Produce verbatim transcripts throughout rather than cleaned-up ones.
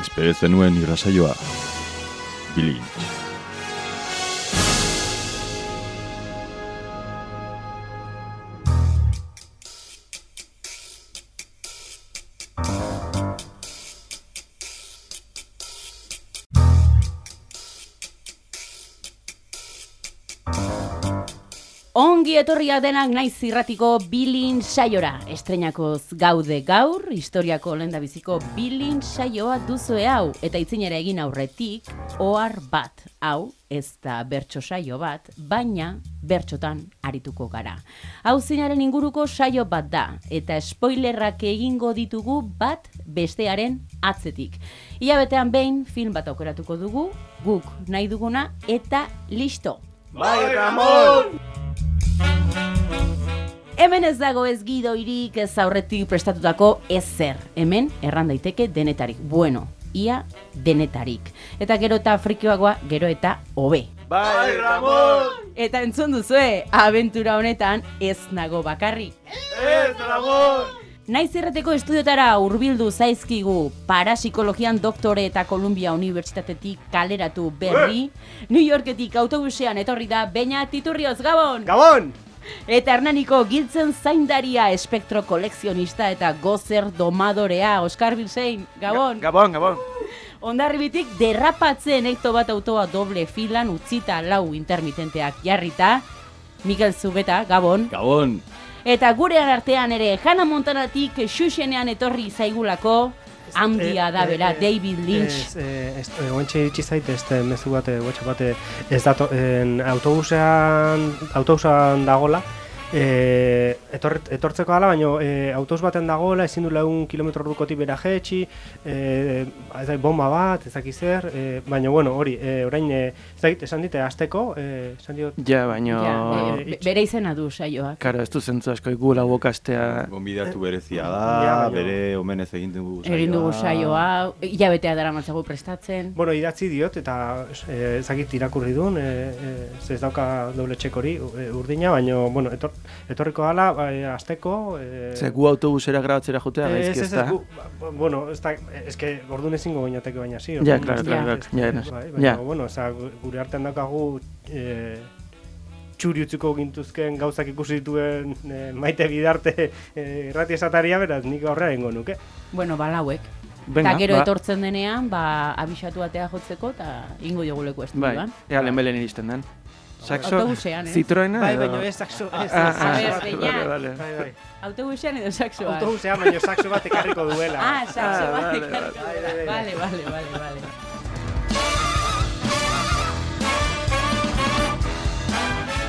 Espero zenuen irrasaioa, Bilintz. Ongi etorriak denak naiz irratiko Bilintz saiora. Estreinakoz gaude gaur, historiako lehendabiziko Bilintz saioa duzue hau. Eta itzinera egin aurretik, ohar bat. Hau, ez da bertso saio bat, baina bertsotan arituko gara. Hau zinaren inguruko saio bat da, eta spoilerrak egingo ditugu bat bestearen atzetik. Ilabetean behin film bat aukeratuko dugu, guk nahi duguna, eta listo! Bai, Ramon! Hemen ez dago ez gidoirik, ez aurretik prestatutako ezer. Hemen erran daiteke denetarik. Bueno, ia denetarik. Eta gero eta frikioagoa, gero eta hobe. Bai, Ramon! Eta entzun duzue, abentura honetan ez nago bakarrik. Ez, Ramon! Naiz irrateko estudiotara hurbildu zaizkigu parapsikologian doktore eta Columbia Unibertsitatetik kaleratu berri, New Yorketik autobusean etorri da Beñat Iturrioz, Gabon! Gabon! Eta Hernaniko giltzen zaindaria, espektro kolekzionista eta gozer domadorea, Oskar Bilsein, Gabon! Ga Gabon, Gabon! Hondarribitik derrapatzen ekto bat autoa doble filan utzita lau intermitenteak jarrita, Mikel Zubeta, Gabon! Gabon! Eta gure artean ere, Hannah Montanatik xuxenean etorri zaigulako, handia da bera, David Lynch. Oentxe iritsi zait, ez mezu bat, WhatsApp bat, ez dato, autobusean, autobusean dagola, e, etor, etortzeko ala, baina e, autobus baten dagoela, ezin du lagun kilometro ordukotik bera jetxi, e, ez da, bomba bat, ez dakiz zer, e, baina, bueno, hori, e, orain, e, ez dakit, esan dite, azteko, e, esan diot... Ja, baina... Ja, e, bere izena du saioak. Karo, ez du zentzu asko iku lau bokastea... Gonbidatu berezia da, Ja, baina- bere omenez egin dugu saioa. Egin dugu saioa, hilabetea dara matzagu prestatzen. Bueno, idatzi diot, eta e, ez dakit irakurri duen, e, e, ez dauka doble txek hori, e, urdina, baina, bueno, etor, etorriko gala, e, azteko... E, Ze gu autobusera grabatzera jotea Ez, gaizki ez, ez ez, da? gu- bueno, ez da, ez que orduan ezingo gainateke baina zi. Ja, orduan, claro, ez- claro, ez- ja, ja, bai, baina, ja. bueno, oza, gure artean daukagu e, txuri utziko gintuzken gauzak ikusi dituen e, Maite Bidarte e, irrati esataria, beraz, nik aurrera egingo nuke. Bueno, balauek. Venga, Eta gero ba. etortzen denean, ba, abisatu atea jotzeko, eta ingo jogu leku Bai, estudioan. ea lehenbelen iristen den. Saxo, Autobusean, eh? Citroena Bai, edo... baina ez saxo, ez, Ah, ez, ah, A ver, ah, Beñat. vale, vale. bai, bai. Autobusean edo saxoan? Autobusean, baina saxo bat ekarriko duela. Ah, saxo Ah, bat vale, ekarriko vale. duela. Vale, vale, vale, vale.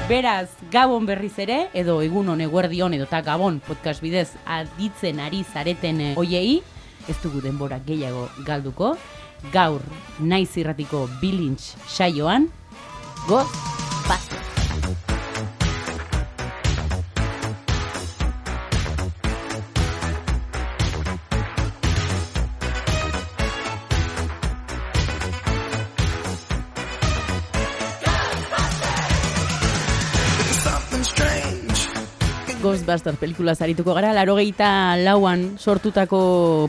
Beraz, Gabon berriz ere, edo egunon eguerdion edo ta Gabon podcast bidez aditzen ari zareten eh, oiei, ez dugu denbora gehiago galduko, gaur naiz irratiko Bilintz saioan, goz, basta! Ghostbusters pelikulaz arituko gara, laurogeita lauan sortutako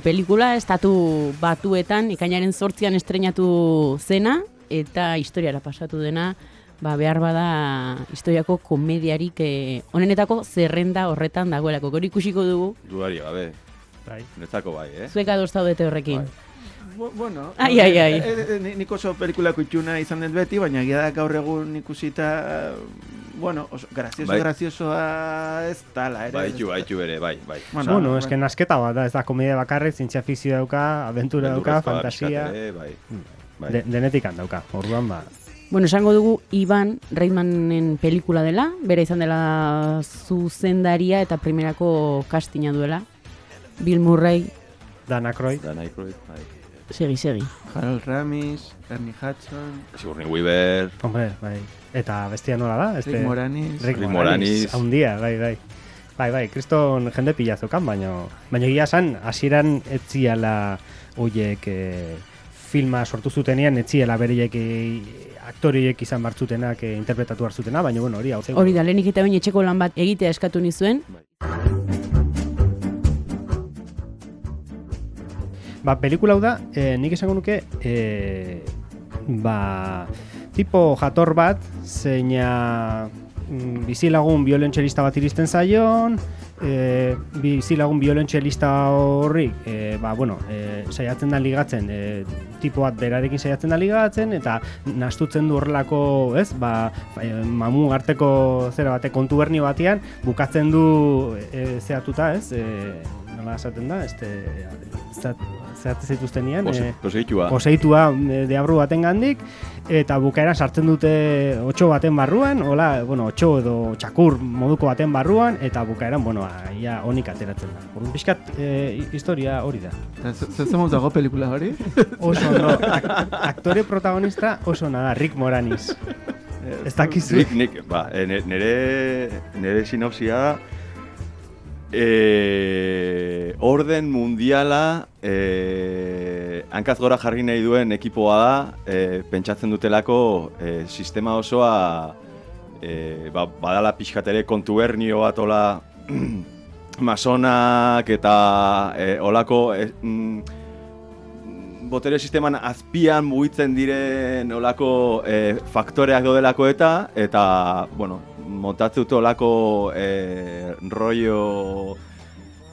pelikula, estatu batuetan, ekainaren zortzian estreinatu zena, eta historiara pasatu dena, ba, behar bada historiako komediarik eh, onenetako zerrenda horretan dagoelako. Gori ikusiko dugu, Dudari gabe, Bai. netzako bai, eh? zuek ados zaudete horrekin. Bai. Bu- Bueno, Ai, ai, ai. e, e, e, nik oso pelikulako itxuna izan dut beti, baina egia da gaur egun ikusita, bueno, oso, grazioso, Bai. graziosoa ez tala, ere. Baitu, baitu ere, bai, bai. Bueno, Bueno, bai. eske nasketa bat da, ez da komedia bakarrik, zientzia fikzio dauka, aventura dauka, Beldurrezkoa fantasia, pixkat ere, bai. bai. de, denetik dauka, orduan ba. Bueno, esango dugu Ivan Reitmanen pelikula dela, bera izan dela zuzendaria eta primerako castinga duela. Bill Murray, Dan Aykroyd, Dan Aykroyd, bai. segi, segi. Harold Ramis, Ernie Hudson, Sigourney Weaver, hombre, bai. Eta bestia nola da? Rick Moranis. Rick Rick Moranis. Moranis. Haundia, bai, bai. Bai, bai, kriston jende pila zokan, baina baina egia esan, hasieran etziala hoiek e, filma sortu zutenean, etziela bereiek e, aktoriek izan bartzutenak e, interpretatu hartzutena, baina bueno, hori hau zen. Hori da, lehenik eta bain etxeko lan bat egitea eskatu nizuen. Ba, pelikula hau da, e, nik esango nuke, e, ba, tipo jator bat, zeina mm, bizilagun violentxerista bat iristen zaion, e, bizilagun violentxerista horri, e, ba, bueno, e, saiatzen da ligatzen, e, tipo bat berarekin saiatzen da ligatzen, eta nastutzen du horrelako, ez, ba, e, mamu arteko zera bate kontubernio batean, bukatzen du e, zehatuta, ez, e, nola esaten da, este, zehatu zituzten nian, Pose, e, poseitua. poseitua e, deabru baten gandik, eta bukaeran sartzen dute otxo baten barruan, hola, bueno, otxo edo txakur moduko baten barruan, eta bukaeran, bueno, ia honik ateratzen da. Orduan pixkat, e, historia hori da. Zezemuz dago pelikula hori? Oso no, ak aktore protagonista oso nada, Rick Moranis. Ez dakizu. Nik, nik, ba, e, nere, nere sinopsia e, orden mundiala e, hankaz gora jarri nahi duen ekipoa da, e, pentsatzen dutelako e, sistema osoa e, ba, badala pixkatere kontubernio bat ola masonak eta e, olako e, mm, botere sisteman azpian mugitzen diren olako e, faktoreak dodelako eta, eta, bueno, montatzen dute olako e, rollo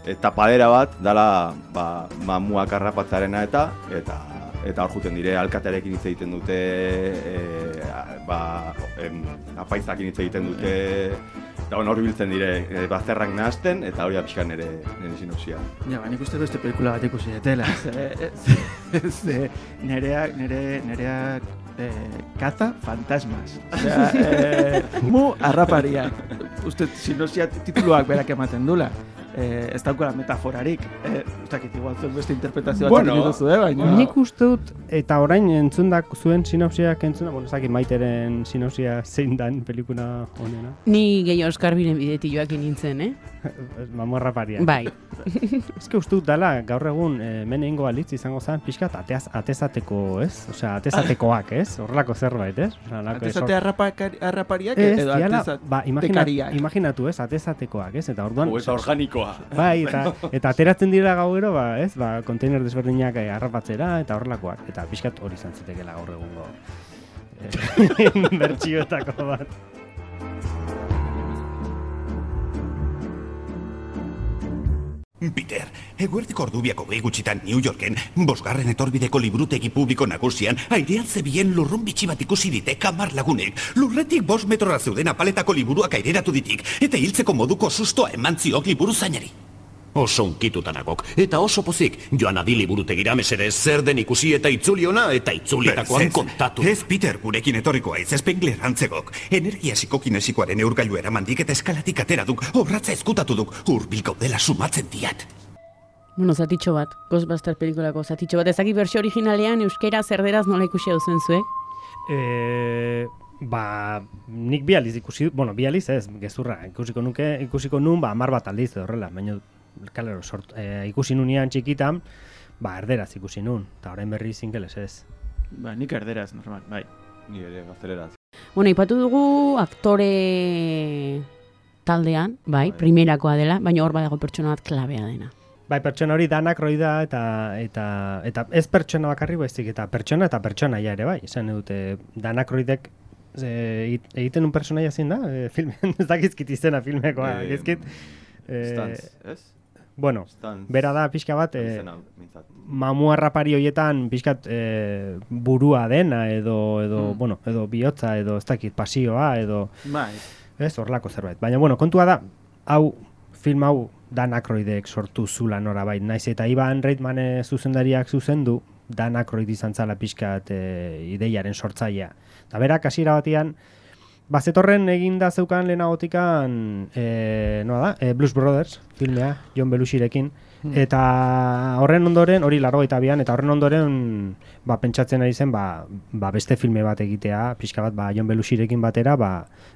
e, tapadera bat, dala ba, mamuak harrapatzarena eta, eta, eta hor juten dire, alkatearekin hitz egiten dute, e, ba, em, apaizakin hitz egiten dute, eta bueno, hor biltzen dire, e, bazterrak nahazten, eta hori apixkan nire, nire sinopsia. Ja, ba, nik uste beste pelikula bat ikusi detela. Ze, nereak, nere, nereak eh, kaza fantasmas. Osea, eh, mu harrapariak. Uste, sinopsia tituluak berak ematen dula. Eh, ez daukala metaforarik. Eh, Uztakit, igual zuen beste interpretazio bat Bueno, egin duzu, eh, baina... Nik uste dut, eta orain entzundak zuen sinopsiak entzuna, bueno, ez dakit Maiteren sinopsia zein dan pelikula honena. Ni gehi Oskar Biren bidetik joakin nintzen, eh? Mamorra paria. Bai. Ez que uste dut dala, gaur egun e, mene ingo alitz izango zen pixkat ateaz, atezateko, ez? Osea, atezatekoak, ez? Horrelako zerbait, ez? Osea, lako Atezate harrapakari- harrapariak Ez, edo diala, atezat... ba, imagina, tekariak. imaginatu, ez? Atezatekoak, ez? Eta orduan... Hau eta organikoa. Bai, eta, eta ateratzen dira gauero, ba, ez? Ba, konteiner desberdinak eh, harrapatzera eta horrelakoak. Eta pixkat hori izan zitekela gaur egungo eh, bertsioetako bat. Peter, eguerdiko ordubiako behi gutxitan New Yorken, bosgarren etorbideko liburutegi publiko nagusian, airean zebien lurrun bitxi bat ikusi ditek hamar lagunek. Lurretik bost metrora zeuden apaletako liburuak aireratu ditik, eta hiltzeko moduko sustoa eman ziok liburu zainari. Oso unkitutanagok, eta oso pozik, joan adi liburutegira mesedez zer den ikusi eta itzuli ona, eta itzulitakoan kontatu. Ez, Peter, gurekin etorriko aiz, Spengler antzegok. Energia psikokinesikoaren eurgailu eramandik eta eskalatik atera duk, obratza ezkutatu duk, hurbil gaudela sumatzen diat. Bueno, zatitxo bat, Ghostbuster pelikulako zatitxo bat. Ezaki bersio originalean euskera zerderaz nola ikusi hau zen zuek? E, ba, nik bi aldiz ikusi, bueno, bi aldiz ez, gezurra, ikusiko nuke, ikusiko nun, ba, hamar bat aldiz horrela, baina kalero, sort, e, ikusi nunean txikitan, ba, erderaz ikusi nun, eta orain berri zingeles ez. Ba, nik erderaz, normal, bai. Ni ere gazteleraz. Bueno, ipatu dugu aktore taldean, bai, primerakoa dela, baina hor badago pertsona bat klabea dena. Bai, pertsona hori danak roida eta, eta, eta ez pertsona bakarri baizik, eta pertsona eta pertsonaia ere bai, esan dute danak roidek e, egiten un personaia zein da, e, filmen, ez dakizkit izena filmekoa, Eh, egizkit. E, Stans, ez? bueno, Stans. bera da pixka bat, e, Izena, mintzat. mamu harrapari horietan pixkat e, burua dena, edo, edo, Mm. bueno, edo bihotza, edo ez dakit pasioa, edo, Bai. ez, horlako zerbait. Baina, bueno, kontua da, hau, film hau, Dan Aykroydek sortu zula norabait, naiz eta Ivan Reitman zuzendariak zuzendu, Dan Aykroyd izan zala pixkat e, ideiaren sortzailea. Eta berak hasiera batean, bazetorren eginda zeukan lehenagotikan, e, noa da, e, Blues Brothers filmea, Jon Belushirekin, eta horren ondoren, hori laurogeita bian, eta horren ondoren ba, pentsatzen ari zen ba, ba beste filme bat egitea, pixka bat ba, Jon Belushirekin batera, ba,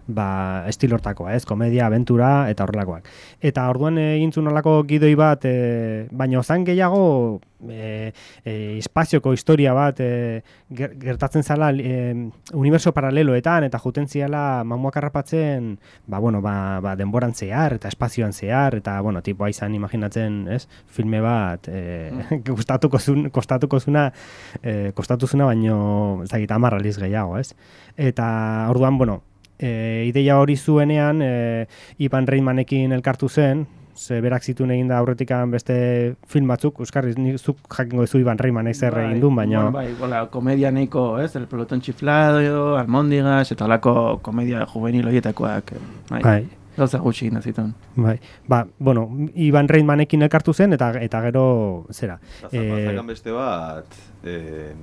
ba estilortakoa, ez, komedia, abentura, eta horrelakoak. Eta orduan egin zuen horrelako gidoi bat, e, baina zan gehiago e, e, espazioko historia bat e, gertatzen zala e, universo paraleloetan, eta juten ziala mamuak harrapatzen, ba, bueno, ba, ba, denboran zehar, eta espazioan zehar, eta, bueno, tipoa izan imaginatzen, ez, filme bat e, mm. kostatuko zun, kostatuko zuna, e, kostatu zuna, baino, ez dakit, hamar aliz gehiago, ez? Eta, orduan, bueno, e, ideia hori zuenean, e, Ivan Reitmanekin elkartu zen, ze berak zituen egin da aurretikan beste film batzuk, euskarri, nik zuk jakingo ezu Ivan Reitmanek zer egin duen, baina... Bueno, bai, hola, komedia nahiko, ez, El pelotón chiflado, Almóndigas, eta holako komedia juvenil horietakoak, bai. bai. Gauza gutxi egin zituen. Bai, ba, bueno, Ivan Reitmanekin elkartu zen, eta eta gero, zera. Zapazakan eh, beste bat, eh,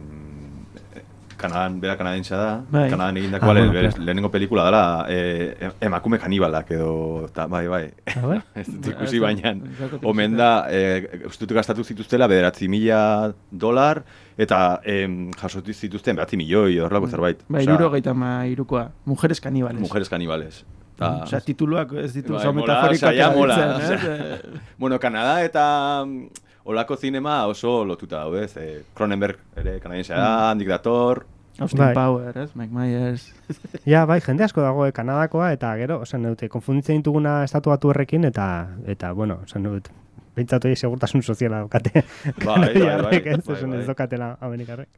Kanadan, bera kanadintza da, bai. Kanadan egindako ah, bueno, claro. Lehenengo pelikula dela, eh, emakume kanibalak edo, ta, bai, bai, ah, bai? ez dut ikusi bainan, omen da, eh, uste gastatu zituztela bederatzi mila dolar, eta eh, jasotu zituzten behatzi milioi, horrelako zerbait. Bai, iruro gaita ma irukoa, mujeres kanibales. Mujeres kanibales. Ta, Osa, tituluak ez ditu, bai, oso metaforikoak erabiltzen, eh? Bueno, Kanada eta olako zinema oso lotuta daude, eh? Cronenberg ere kanadiense da, mm. handik dator. Austin bai. Powers, ez? Mike Myers. Ja, bai, jende asko dago eh, Kanadakoa, eta gero, osan dute, konfunditzen dituguna estatu batuerrekin, eta, eta bueno, osan dut, behintzatu egin segurtasun soziala daukate. Bai, bai, bai. Ez bai, bai. daukatela amerikarrek.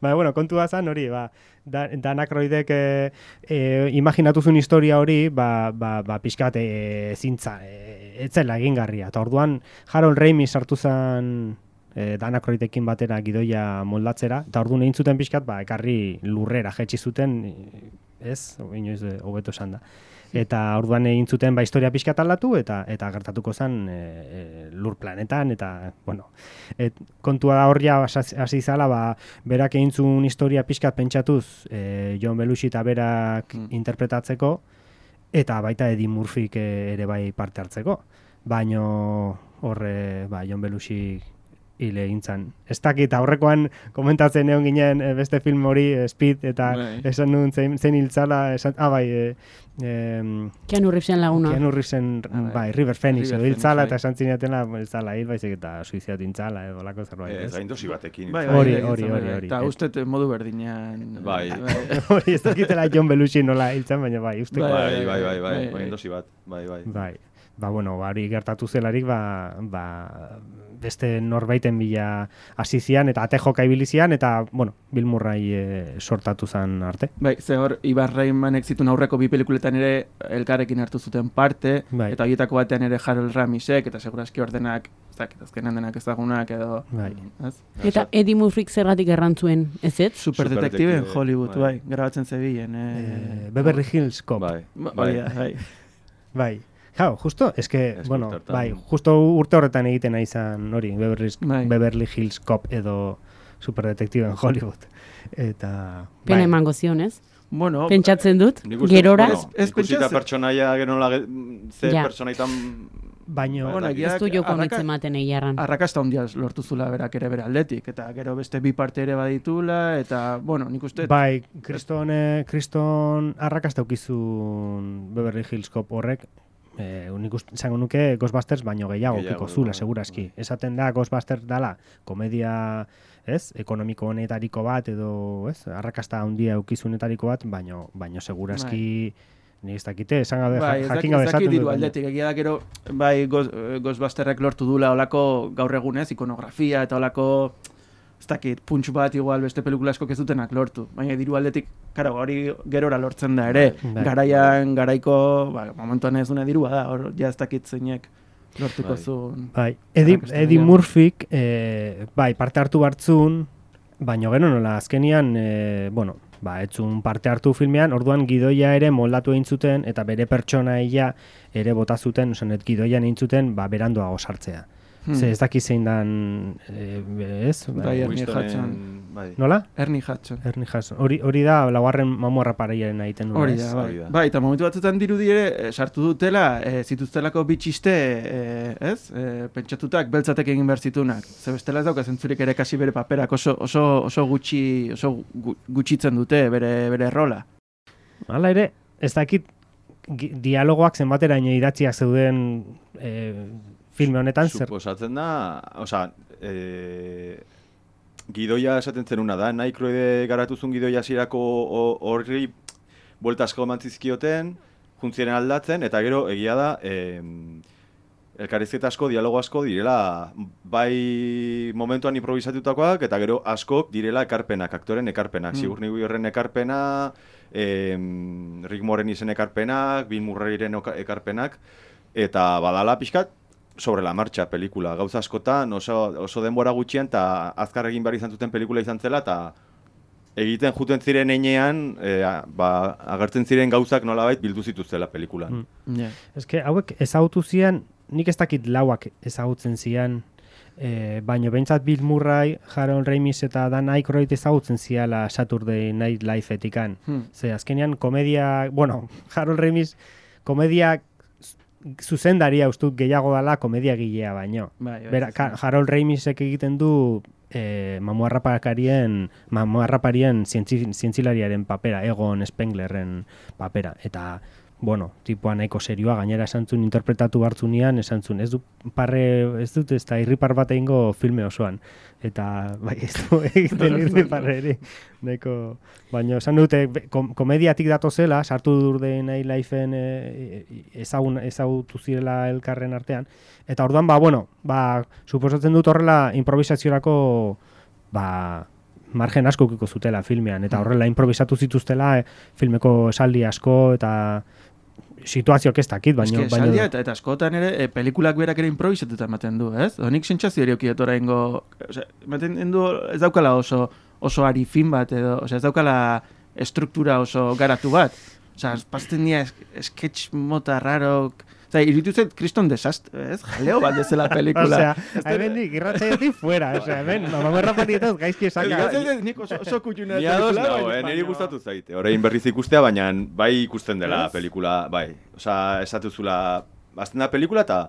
Ba, bueno, kontua zan hori, ba, da, Danakroidek e, e, imaginatu zuen historia hori, ba, ba, ba pixkat e, zintza, e, etzela egingarria. Eta orduan, Harold Ramis sartu zen e, Danakroidekin batera gidoia moldatzera, eta orduan egin zuten pixkat, ba, ekarri lurrera jetxi zuten, ez, inoiz hobeto esan da. Eta orduan egin zuten ba historia pixkat aldatu eta eta gertatuko zen e, e, lur planetan eta bueno, et, kontua da horria hasi zala ba berak egin zuen historia pixkat pentsatuz e, Jon Belushi eta berak mm. interpretatzeko eta baita Eddie Murphyk ere bai parte hartzeko. Baino horre ba Jon Belushi hile egintzan. Ez dakit, aurrekoan komentatzen egon ginen e, beste film hori, e, Speed, eta bai. Esan nuen zein, zein hiltzala, esan, ah, bai, e, e, Keanu Reevesen laguna. Keanu Reevesen, ah, bai, River Phoenix, edo hiltzala, eta esan zinatela, hiltzala hil, baizik eta suiziat hintzala, edo lako zerbait. Ez, hain dosi batekin. Bai, hori, hori, hori, hori. Eta uste modu berdinean. Bai. Hori, ez dakitela Jon Belushi nola hiltzan, baina bai, uste. Bai, bai, bai, bai, bai, dosi bat, bai, bai. Bai, ba, bueno, hori gertatu zelarik, ba, ba, beste norbaiten bila hasi zian eta ate joka ibili zian eta bueno, Bill Murray e, sortatu zen arte. Bai, ze hor Ivan Reitmanek zituen aurreko bi pelikuletan ere elkarrekin hartu zuten parte, bai. Eta horietako batean ere Harold Ramisek eta segurazki ordenak, ez dakit, azkenan denak ezagunak edo, bai. Ez? Eta Eddie Murphyk zergatik errantzuen, ez ez? Superdetektibe en Hollywood, bai, bai. Grabatzen zebilen. Eh, eh, Beverly Hills Cop. Bai, bai. Bai. Bai. Claro, justo, es que, es bueno, bai, justo urte horretan egiten izan hori, Beverly, bai. Beverly Hills Cop edo Superdetektibe en Hollywood. Eta... Pena bai. Emango zion, ez? Bueno, pentsatzen dut, gerora. Bueno, ez ikusita pertsonaia genola ze ja. Pertsonaitan... Baina, bueno, ez du joko nitzen maten egiarran. Arrakasta hondia lortu zula berak ere bere aldetik, eta gero beste bi parte ere baditula, eta, bueno, nik uste... Bai, kriston, eh, kriston arrakasta ukizun Beverly Hills Cop horrek, Eh, unik izango nuke Ghostbusters baino gehiago piko zula, segurazki. Esaten da Ghostbusters dala komedia, ez, ekonomiko honetariko bat edo, ez, arrakasta handia eukizunetariko bat, baino baino segurazki ni ez dakite, esan gabe bai, jakin gabe esaten dut. Aldetik, egia da gero, bai, Ghostbusterrek lortu dula olako gaur egunez, ikonografia eta olako ez dakit, puntx bat igual beste pelikula asko kezutenak lortu. Baina diru aldetik, karo, hori gerora lortzen da ere. Bai. Garaian, garaiko, ba, momentuan ez duna dirua da, hor ja ez dakit zeinek lortuko bai. Zuen. Bai, Eddie, Eddie Murphyk, eh, bai, parte hartu hartzun, baina gero nola, azkenian, eh, bueno, ba, etzun parte hartu filmean, orduan gidoia ere moldatu egin zuten, eta bere pertsonaia ere bota zuten, osanet gidoian egin zuten, ba, beranduago sartzea. Hmm. Ze ez daki zein dan, e, ez? Bai, Ernie Winstonen- Hudson. bai. Nola? Ernie Hudson. Ernie Hudson. Hori, hori da, laugarren mamuarra paraiaren egiten duena, Hori ez? da, bai. Hori da. Bai, eta momentu batzutan dirudi ere, eh, sartu dutela, eh, zituztelako bitxiste, eh, ez? Eh, pentsatutak beltzatek egin behar zitunak. Ze bestela ez dauka zentzurik ere kasi bere paperak oso, oso, oso gutxi, oso gu- gutxitzen dute bere, bere rola. Hala ere, ez dakit gi- dialogoak zenbateraino idatziak zeuden e, filme honetan, zer? Suposatzen da, osea, e, gidoia esaten zenuna da, Aykroyd garatuzun gidoia hasierako ho- horri buelta asko eman zizkioten, juntziren aldatzen, eta gero egia da, e, elkarrizketa asko, dialogo asko direla, bai momentuan improvisatutakoak, eta gero askok direla ekarpenak, aktoren ekarpenak, Mm. Sigourney Weaverren ekarpena, e, Rick Moranis ekarpenak, Bill Murrayren oka- ekarpenak, eta badala pixkat, sobre la marcha pelikula. Gauza askotan oso, oso denbora gutxian eta azkar egin behar izan zuten pelikula izan zela eta egiten juten ziren heinean e, ba, agertzen ziren gauzak nolabait bildu zituztela pelikulan. Mm. Ja. Eske hauek ezagutu zian, nik ez dakit lauak ezagutzen zian, e, baino behintzat Bill Murray, Harold Ramis eta Dan Aykroyd ezagutzen ziala Saturday Night Live-etikan. Hmm. Ze azkenean komedia, bueno, Harold Ramis komedia zuzendaria ustut gehiago dela komedia gilea baino. Bai, bai, Bera, bai. ka, Harold Ramisek egiten du e, mamuarraparien, mamuarraparien zientzi, zientzilariaren papera, Egon Spenglerren papera. Eta, bueno, tipoa nahiko serioa, gainera esan zuen interpretatu hartzunean, esan zuen, ez du parre, ez dut ez da irripar bat egingo filme osoan. Eta, bai, ez du egiten irriparre ere. Nahiko, baina esan dute, be- kom komediatik datozela, sartu Saturday Night Live-en e, ezagun, ezagutu zirela elkarren artean. Eta orduan, ba, bueno, ba, suposatzen dut horrela improvisaziorako, ba, margen asko ukiko zutela filmean, eta horrela improvisatu zituztela e, filmeko esaldi asko, eta situazioak ez dakit, baina... Eske, esaldia eta, eta askotan ere, e, pelikulak berak ere improvisatuta ematen du, ez? Honik sentsazio ere okietot oraingo, osea, ematen du ez daukala oso, oso ari fin bat, edo, osea, ez daukala estruktura oso garatu bat. Osea, pasten dira es, sketch mota rarok, osea, iruditu zait kriston desastre, ez? Jaleo bat dezela pelikula. Osea, hemen nik irratzaiotik fuera, osea, hemen, mamarra parietaz gaizki esaka. Eskatzen dut, nik oso, oso kutxuna Ni ados pelikula, nago, baina- eh, niri gustatu zaite. Orain berriz ikustea, baina bai ikusten dela Ez? pelikula, bai. Osea, esatuzula, azten da pelikula eta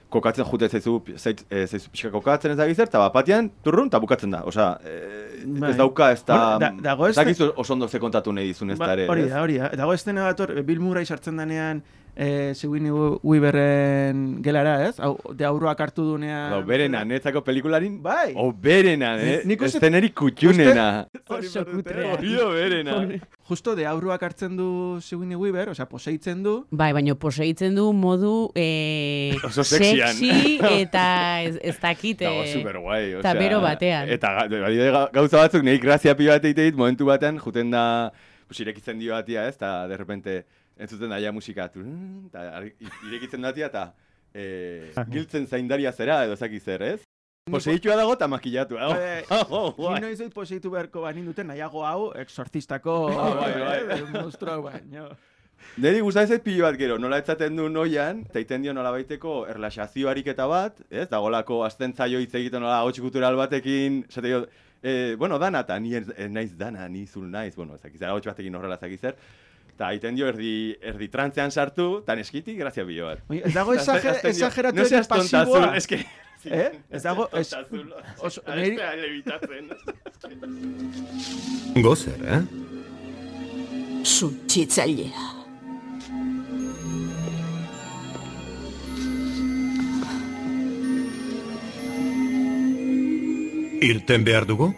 kokatzen jute zaizu, zait, e, zaizu pixka kokatzen ez da gizert, eta bat batean, turrun, eta bukatzen da. Osea, e, Bai. ez dauka, ez da... Bueno, da- dago ez este- dakizu oso ondo ze kontatu nahi dizun ez Ba, da ere. hori ez? da, hori da. Dago estena bat hor, Bill Murray sartzen denean, eh, Sigourney Weaverren gelara, ez? Hau, de aurroak hartu dunean... Hau, berena, netzako pelikularin, Bai. o berena, eh? Nik uste- Estenerik kutxunena. Oso kutrea. Hori da berena. Justo de aurroak hartzen du Sigourney Weaver, osea, poseitzen du, Bai, baina poseitzen du modu e, Oso sexian. sexy eta ez, ez dakit. Dago eh, super guai, eta bero batean. Eta ga- adibidez, ga- gauza batzuk nahi grazia pila bat egite dit, momentu batean, juten da, pues, irekitzen dio batia, ez, eta de repente, entzuten daia musika, turun, eta ari- irekitzen datia, eta e, giltzen zaindaria zera, edo zaki zer, ez? Poseitua dago eta makillatu. Oh, Eh, oh, ni guai. noiz dut poseitu beharko banin duten nahiago hau, exorcistako Ah, bai, bai. eh, monstruo hau baino. Neri gustatzen zait pilo bat gero, nola etzaten du noian, eta iten dio nola baiteko erlaxazio ariketa bat, ez? Dagolako azten zaio hitz egiten nola hotx kultural batekin, esate dio, eh, bueno, dana, eta ni ez, ez naiz dana, ni zul naiz, bueno, ezakizera hotx batekin horrela ezakizer, eta iten dio erdi, erdi trantzean sartu, eta neskiti, grazia pilo bat. Oye, ez dago Azten- exager, azten dio, exageratu no seas pasiboa. tontazul, es que... Eh? Ez dago... Ez, Tontazul, oso- a niri- este levitatzen. Gozer, eh? Suntsitzailea. Irten behar dugu?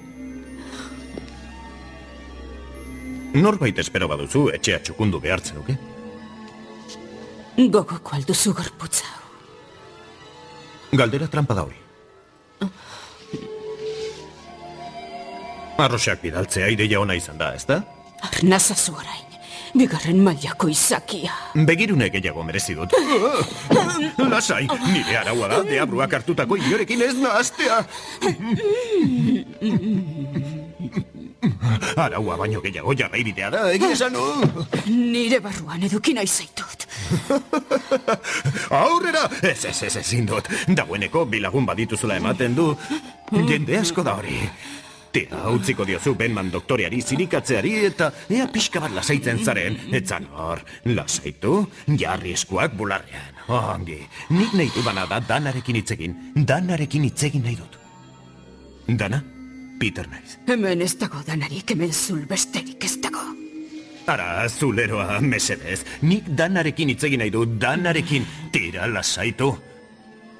Norbait espero baduzu, etxea txukundu behartzen duke. Gogoko alduzu gorputza hau. Galdera trampa da hori. Arroxak bidaltzea ideia ona izan da, ezta? Arnazazu orain, bigarren mailako izakia. Begirune gehiago merezi dut. Lasai, nire araua da, deabruak hartutako inorekin ez nahaztea. Araua baino gehiago jarraibidea da, egia esan. Nire barruan eduki nahi zaitut. Aurrera! Ez, ez, ez, ezin dut. Dagoeneko bilagun badituzula ematen du. Jende asko da hori. Tira, utziko diozu Benman doktoreari zirikatzeari eta ea pixka bat lasaitzen zaren. Etzan hor, lasaitu, jarri eskuak bularrean. Ongi, nik nahi dudana da Danarekin hitzegin. Danarekin hitzegin nahi dut. Dana, Peter naiz. Hemen ez dago Danarik, hemen zul besterik ez dago. Ara, zuleroa, mesedez. Nik Danarekin hitzegin nahi dut, Danarekin. Tira, lasaitu.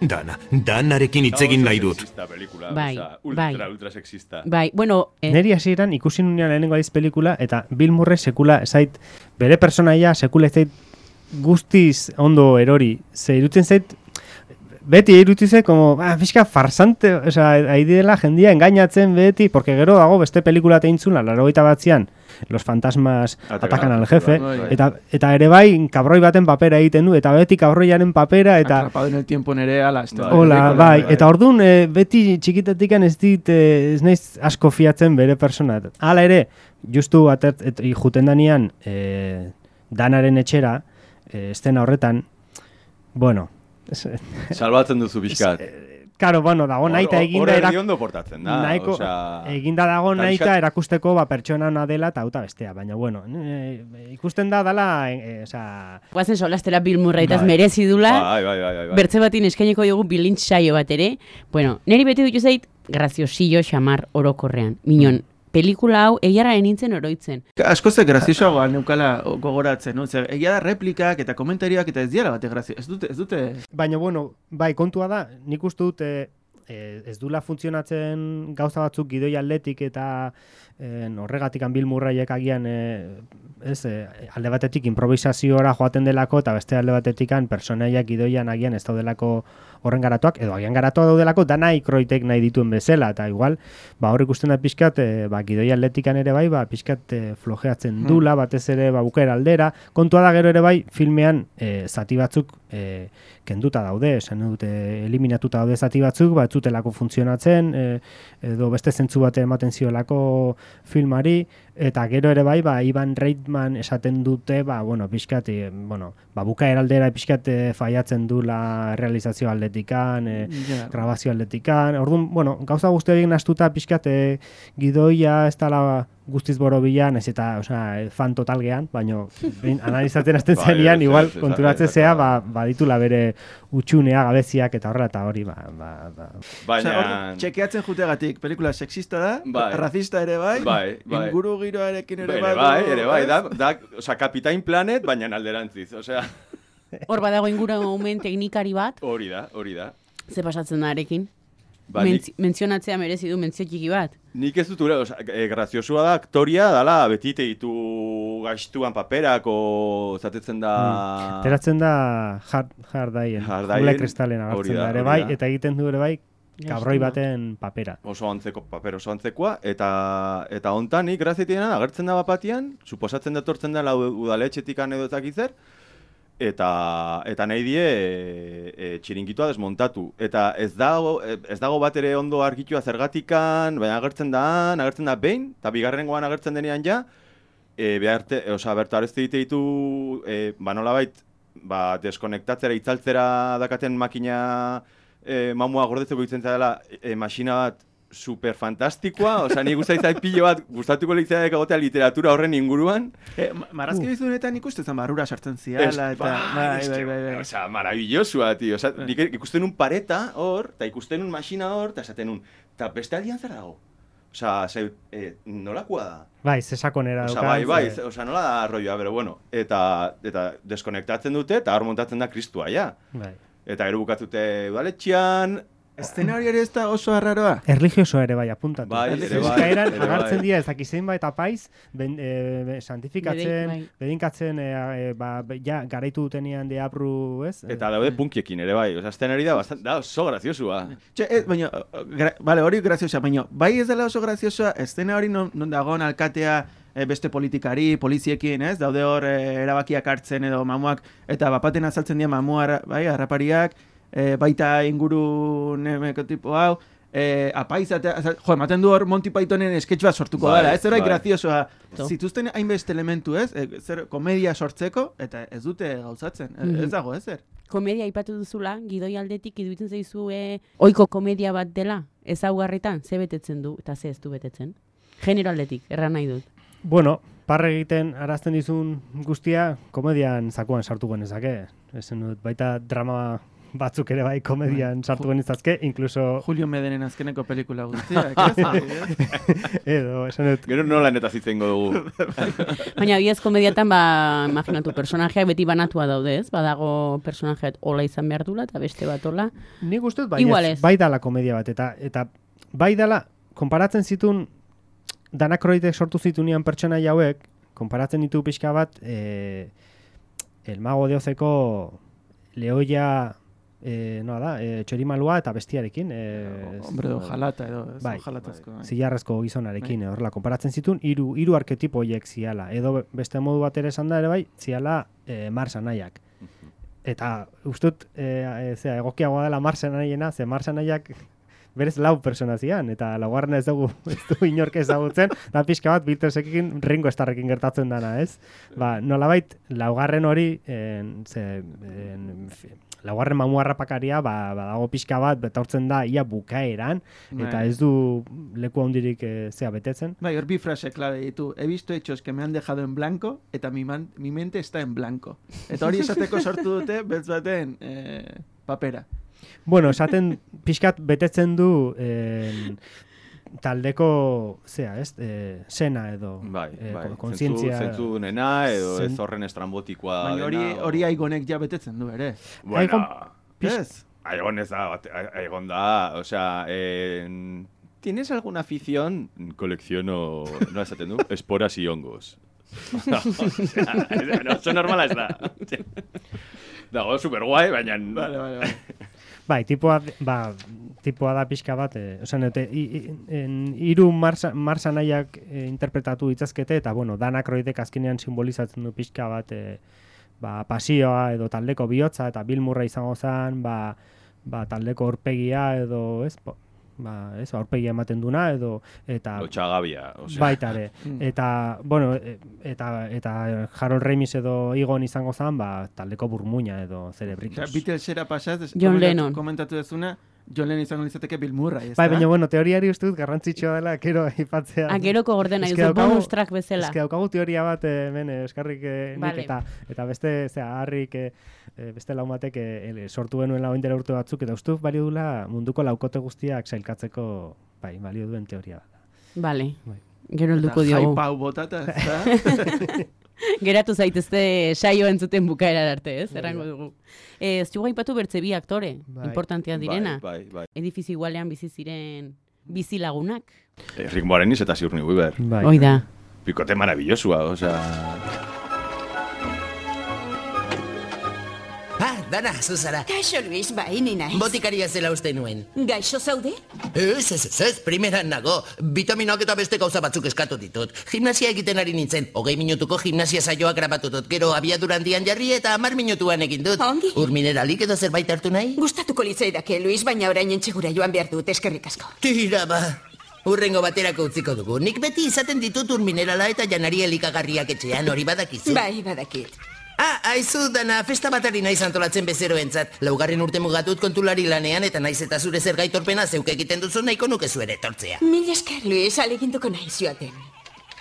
Dana, Danarekin hitzegin nahi dut. Pelikula, Bai, oza, ultra, bai. ultra sexista. Bai, bueno... Eh, Neri hasieran ikusi nunean lehenengo aldiz pelikula, eta Bill Murray sekula zait, bere personaia sekula ez zait guztiz ondo erori. Ze irutzen zait, beti irutzen zait, como, ah, pixka farsante, oza, haidi dela jendia engainatzen beti, porque gero dago beste pelikula teintzula, laurogeita batzean, Los fantasmas Atacan atacan al al jefe, jefe, bai. eta, eta ere bai, kabroi baten papera egiten du, eta beti kabroiaren papera, eta... Atrapado en el tiempo nere, ala, este, Hola, bai, eta orduan e, beti txikitetik ez dit, e, ez naiz asko fiatzen bere persona. Hala ere, justu atert, et, juten danian e, Danaren etxera, e, estena horretan, bueno... Salbatzen duzu pixkat. Karo, bueno, dago naita eginda... Hor erak... erdi ondo portatzen da, Nahiko, osea... eginda dago eta naita pixkat- erakusteko ba, pertsona ona dela eta auta bestea, baina bueno, e, ikusten da dala, e, e, osea... Guazen solastera Bill Murraytaz Bai. merezi dula, Bai, bai, bai, bai, bai. bertze batin eskaineko dugu bilintz saio bat ere. Bueno, niri beti dut zait, graziosillo xamar orokorrean. Minon, pelikula hau egiarraren nintzen oroitzen. Asko ze graziosoagoa neukala gogoratzen, no? Zer, egia da replikak eta komentarioak eta ez diala bate grazio. Ez dute, ez dute... Baina bueno, bai, kontua da, nik uste dut... E, E, ez dula funtzionatzen gauza batzuk gidoi atletik eta e, horregatik Bill Murrayek agian e, ez, e, alde batetik improvisaziora joaten delako eta beste alde batetik personaiak gidoian agian ez daudelako horren garatuak, edo agian garatuak daudelako Dana Aykroydek nahi dituen bezala, eta igual ba, hor ikusten da pixkat e, ba, gidoi atletikan ere bai ba, pixkat e, flojeatzen dula, batez ere ba, bukaera aldera, kontua da gero ere bai filmean e, zati batzuk e, kenduta daude, esan dute eliminatuta daude zati batzuk, ba, ez zutelako funtzionatzen, e, edo beste zentzu bate ematen ziolako filmari, eta gero ere bai, ba, Ivan Reitman esaten dute, ba, bueno, pixkat, e, bueno, ba, bukaera aldera pixkat e, faiatzen dula realizazio aldetikan, e, Ja. grabazio aldetikan, orduan, bueno, gauza guzti horiek nastuta pixkat e, gidoia ez dala guztiz borobilan, ez eta, osea, fan total gean, baina analizatzen hasten Bai, zenian, ez, igual, ez, ez, konturatzen ez, zea, ez, ba, baditula bere utxunea, gabeziak eta horrela eta hori, ba, ba, ba. Baina... Osea, hor, txekeatzen jutegatik, pelikula sexista da, Bai. razista ere bai, Bai, bai. inguru giroarekin ere Ere bai. bai, du, ere bai, ez? da, da, osea, Kapitain Planet, baina alderantziz, osea, Hor badago ingurumen teknikari bat, hori da, hori da. ze pasatzen da arekin. Ba, nik, Mentzi- mentzionatzea merezi du mentzio txiki bat. nik ez dut ure, osea, e, graziosua da, aktoria dala, beti ditu gaiztuan paperak, o zatetzen da... Teratzen da hard, hardaien, Hardaien, Jule Kristalen hori agertzen da, da, ere hori bai, da. eta egiten du ere bai, kabroi Gaiztua. baten papera. Oso antzeko paper oso antzekoa, eta eta hontan nik grazitiena agertzen da bapatian, suposatzen datortzen dela udaletxetikan edo ezakizer, eta eta nahi die e, e, txiringitua desmontatu. Eta ez dago, ez dago bat ere ondo argitua zergatikan, baina agertzen da, agertzen da behin, eta bigarrengoan agertzen denean ja, e, beharte, osea, bertu arezte dite ditu, e, ba nolabait, ba, deskonektatzera, itzaltzera dakaten makina e, mamua gordetzeko ditzen dela e, masina bat super fantastikoa, osea, ni guztai zait pilo bat, gustatuko litzaiak egotea literatura horren inguruan. Eh, ma- marrazki Uh. bizunetan ikusten zen barrura sartzen Ez, ziala, eta... bai, Bai, bai, bai, bai. Osea, maravillosua, tio. Osea, nik ikusten un pareta hor, eta ikusten un masina hor, eta esaten un, eta beste aldian zer dago? Osea, ze, eh, nolakoa da? Bai, zesakonera Osea, dauka. bai, bai, ze- osea, nola da arroioa, pero bueno, eta, eta deskonektatzen dute, eta hor montatzen da kristua, ja. Bai. Eta gero bukatute udaletxean, Eszena hori ere ez da oso arraroa. Erligioso ere bai, apuntatu. Bai, ere bai, Eskaeran ere agertzen bai. dira ez dakizein bai eta paiz, ben, e, santifikatzen, Bedin- bai. bedinkatzen, e, e, ba, be- ja, garaitu dutenean deabru, ez? eta daude punkiekin ere bai. Osea, azten hori da, bastant, da oso graziosua. Txe, ez, baina, gra, vale, hori graziosa, baina, bai ez dela oso graziosa, eszena hori non, non dagoen alkatea e, beste politikari, poliziekin, ez? Daude hor e, erabakiak hartzen edo mamuak, eta bapaten azaltzen dira mamua, arra- bai, harrapariak, e, baita inguru nemeko tipo hau, eh, apaizatea, jo, ematen du hor Monty Pythonen sketch bat sortuko Bai, dela, ez zerbait bai. graziosoa. To. Zituzten hainbeste elementu, ez? E, zer, komedia sortzeko, eta ez dute gauzatzen, e, Mhm. ez dago, ezer. Komedia aipatu duzula, gidoi aldetik iruditzen zaizu e, ohiko komedia bat dela, ezaugarritan, ze betetzen du eta ze ez du betetzen. Genero aldetik, erran nahi dut. Bueno, parre egiten arazten dizun guztia, komedian zakuan sartu genezake. Ezen dut, baita drama batzuk ere bai komedian sartu genezazke, incluso... Julio Medenen azkeneko pelikula guztiak, ez? Edo, esan dut, Gero nola neta zitzengo dugu. Baina bidez komediatan, ba, imaginatu, personajeak beti banatua daude, ez? Badago personajeat ola izan behar dula, eta beste bat ola. nik uste dut bai, Igual ez, ez. bai dala komedia bat, eta, eta bai dala, konparatzen zitun, Danakroitek sortu zitunean pertsonaia hauek, konparatzen ditu pixka bat, e, El Mago de Ozeko lehoia, e, noa da, e, txorimalua eta bestiarekin. E, Hombre, ojalata edo, ez? Bai. Ojalatazko. Bai. zilarrezko gizonarekin, horrela, konparatzen zitun, hiru hiru arketipo horiek ziala. Edo beste modu bat ere esan da ere bai, ziala e, Mars anaiak. Eta ustut, e, e, zera, egokiagoa dela Mars anaiena, ze Mars anaiak berez lau persona zian, eta laugarren ez dugu, ez du inork ezagutzen, da pixka bat Beatlesekin Ringo Starrekin gertatzen dana, ez? Ba, nolabait, laugarren hori, en, ze, en, fi- laugarren mamuarrapakaria, ba, badago pixka bat, betortzen da ia bukaeran, eta Bai. ez du leku handirik e, zea betetzen. Bai, hor bi frase klabe ditu. He visto hechos que me han dejado en blanco, eta mi, man, mi mente está en blanco. Eta hori esateko sortu dute, beltz baten eh, papera. Bueno, esaten pixkat betetzen du en, taldeko, zea, ez, e, sena edo Bai, e, bai. kon- kontzientzia. Zentzu, zentzu nena edo Zen- ez horren estrambotikoa Baina hori, dena. o- hori aigonek ja betetzen du ere. Bueno, Aigon- Pix- Ez? Aigon ez da, bat- Aigon da, o sea, en... ¿Tienes alguna afición? Colecciono, no esaten du, esporas y hongos. o sea, ez- no, oso normala ez da. Dago, superguai, baina... Vale, vale, vale. Bai, tipoa, ba, tipoa da pixka bat, e, osan, ete, i, i, en, hiru marsa, marsa nahiak e, interpretatu ditzazkete, eta, bueno, Danakroidek azkenean simbolizatzen du pixka bat, e, ba, pasioa edo taldeko bihotza, eta Bill Murray izango zen, ba, ba, taldeko aurpegia edo, ez, ba, ba, ez, aurpegia ematen duna, edo, eta... Lotxagabia, o sea... Baita ere. Eta, bueno, e- eta, eta Harold Ramis edo Igon izango zen, ba, taldeko burmuina edo Osea, Cerebritos. Beatlesera pasaz, John komentatu- Lennon. komentatu dezuna, John Lennon izango litzateke Bill Murray, ez Bai, da? baina, bueno, teoriari uste dut garrantzitsua dela, kero aipatzea. Ageroko gordena, Eske duzu daukagu- bonus track bezala. Eske daukagu teoria bat eh, hemen eh, eskarrik eh, nik Vale. eta, eta beste, zera, harrik eh, eh, beste lau batek eh, ele, sortu genuen lau indera urte batzuk, eta uste dut balio dula munduko laukote guztiak sailkatzeko, bai, balio duen teoria bat. Bale, Bai. gero helduko Eta diogu. hype hau botata, ez da? Geratu zaitezte saio entzuten bukaera arte, ez? Bai, Errango bai. dugu. Eh, ez dugu aipatu bertze bi aktore, Bai. importanteak direna. Bai, bai, bai. Edifizio igualean bizi ziren bizilagunak. Eh, Rick Moranis eta Sigourney Weaver. Bai. Hoi da. Picote maravillosua, o sea... Ah, Dana, zuzara. Kaixo, Luis, bai, ni naiz. Botikaria zela uste nuen. Gaixo zaude? Ez, ez, ez, ez, primeran nago. Vitaminoak eta beste gauza batzuk eskatu ditut. Gimnasia egiten ari nintzen. Hogei minutuko gimnasia saioak grabatu dut. Gero abiadura handian jarri eta hamar minutuan egin dut. Ongi. Ur mineralik edo zerbait hartu nahi? Gustatuko litzaidake, Luis, baina orain entxegura joan behar dut, eskerrik asko. Tira ba. Urrengo baterako utziko dugu. Nik beti izaten ditut ur minerala eta janari elikagarriak etxean, hori badakizu. Bai, badakit. Ah, aizu, Dana, festa bat ari naiz antolatzen bezeroentzat. Laugarren urte mugatut kontulari lanean eta naiz eta zure zer gaitorpena zeuk egiten duzu nahiko nuke zuere etortzea. Mil esker, Luis, aleginduko naiz joaten.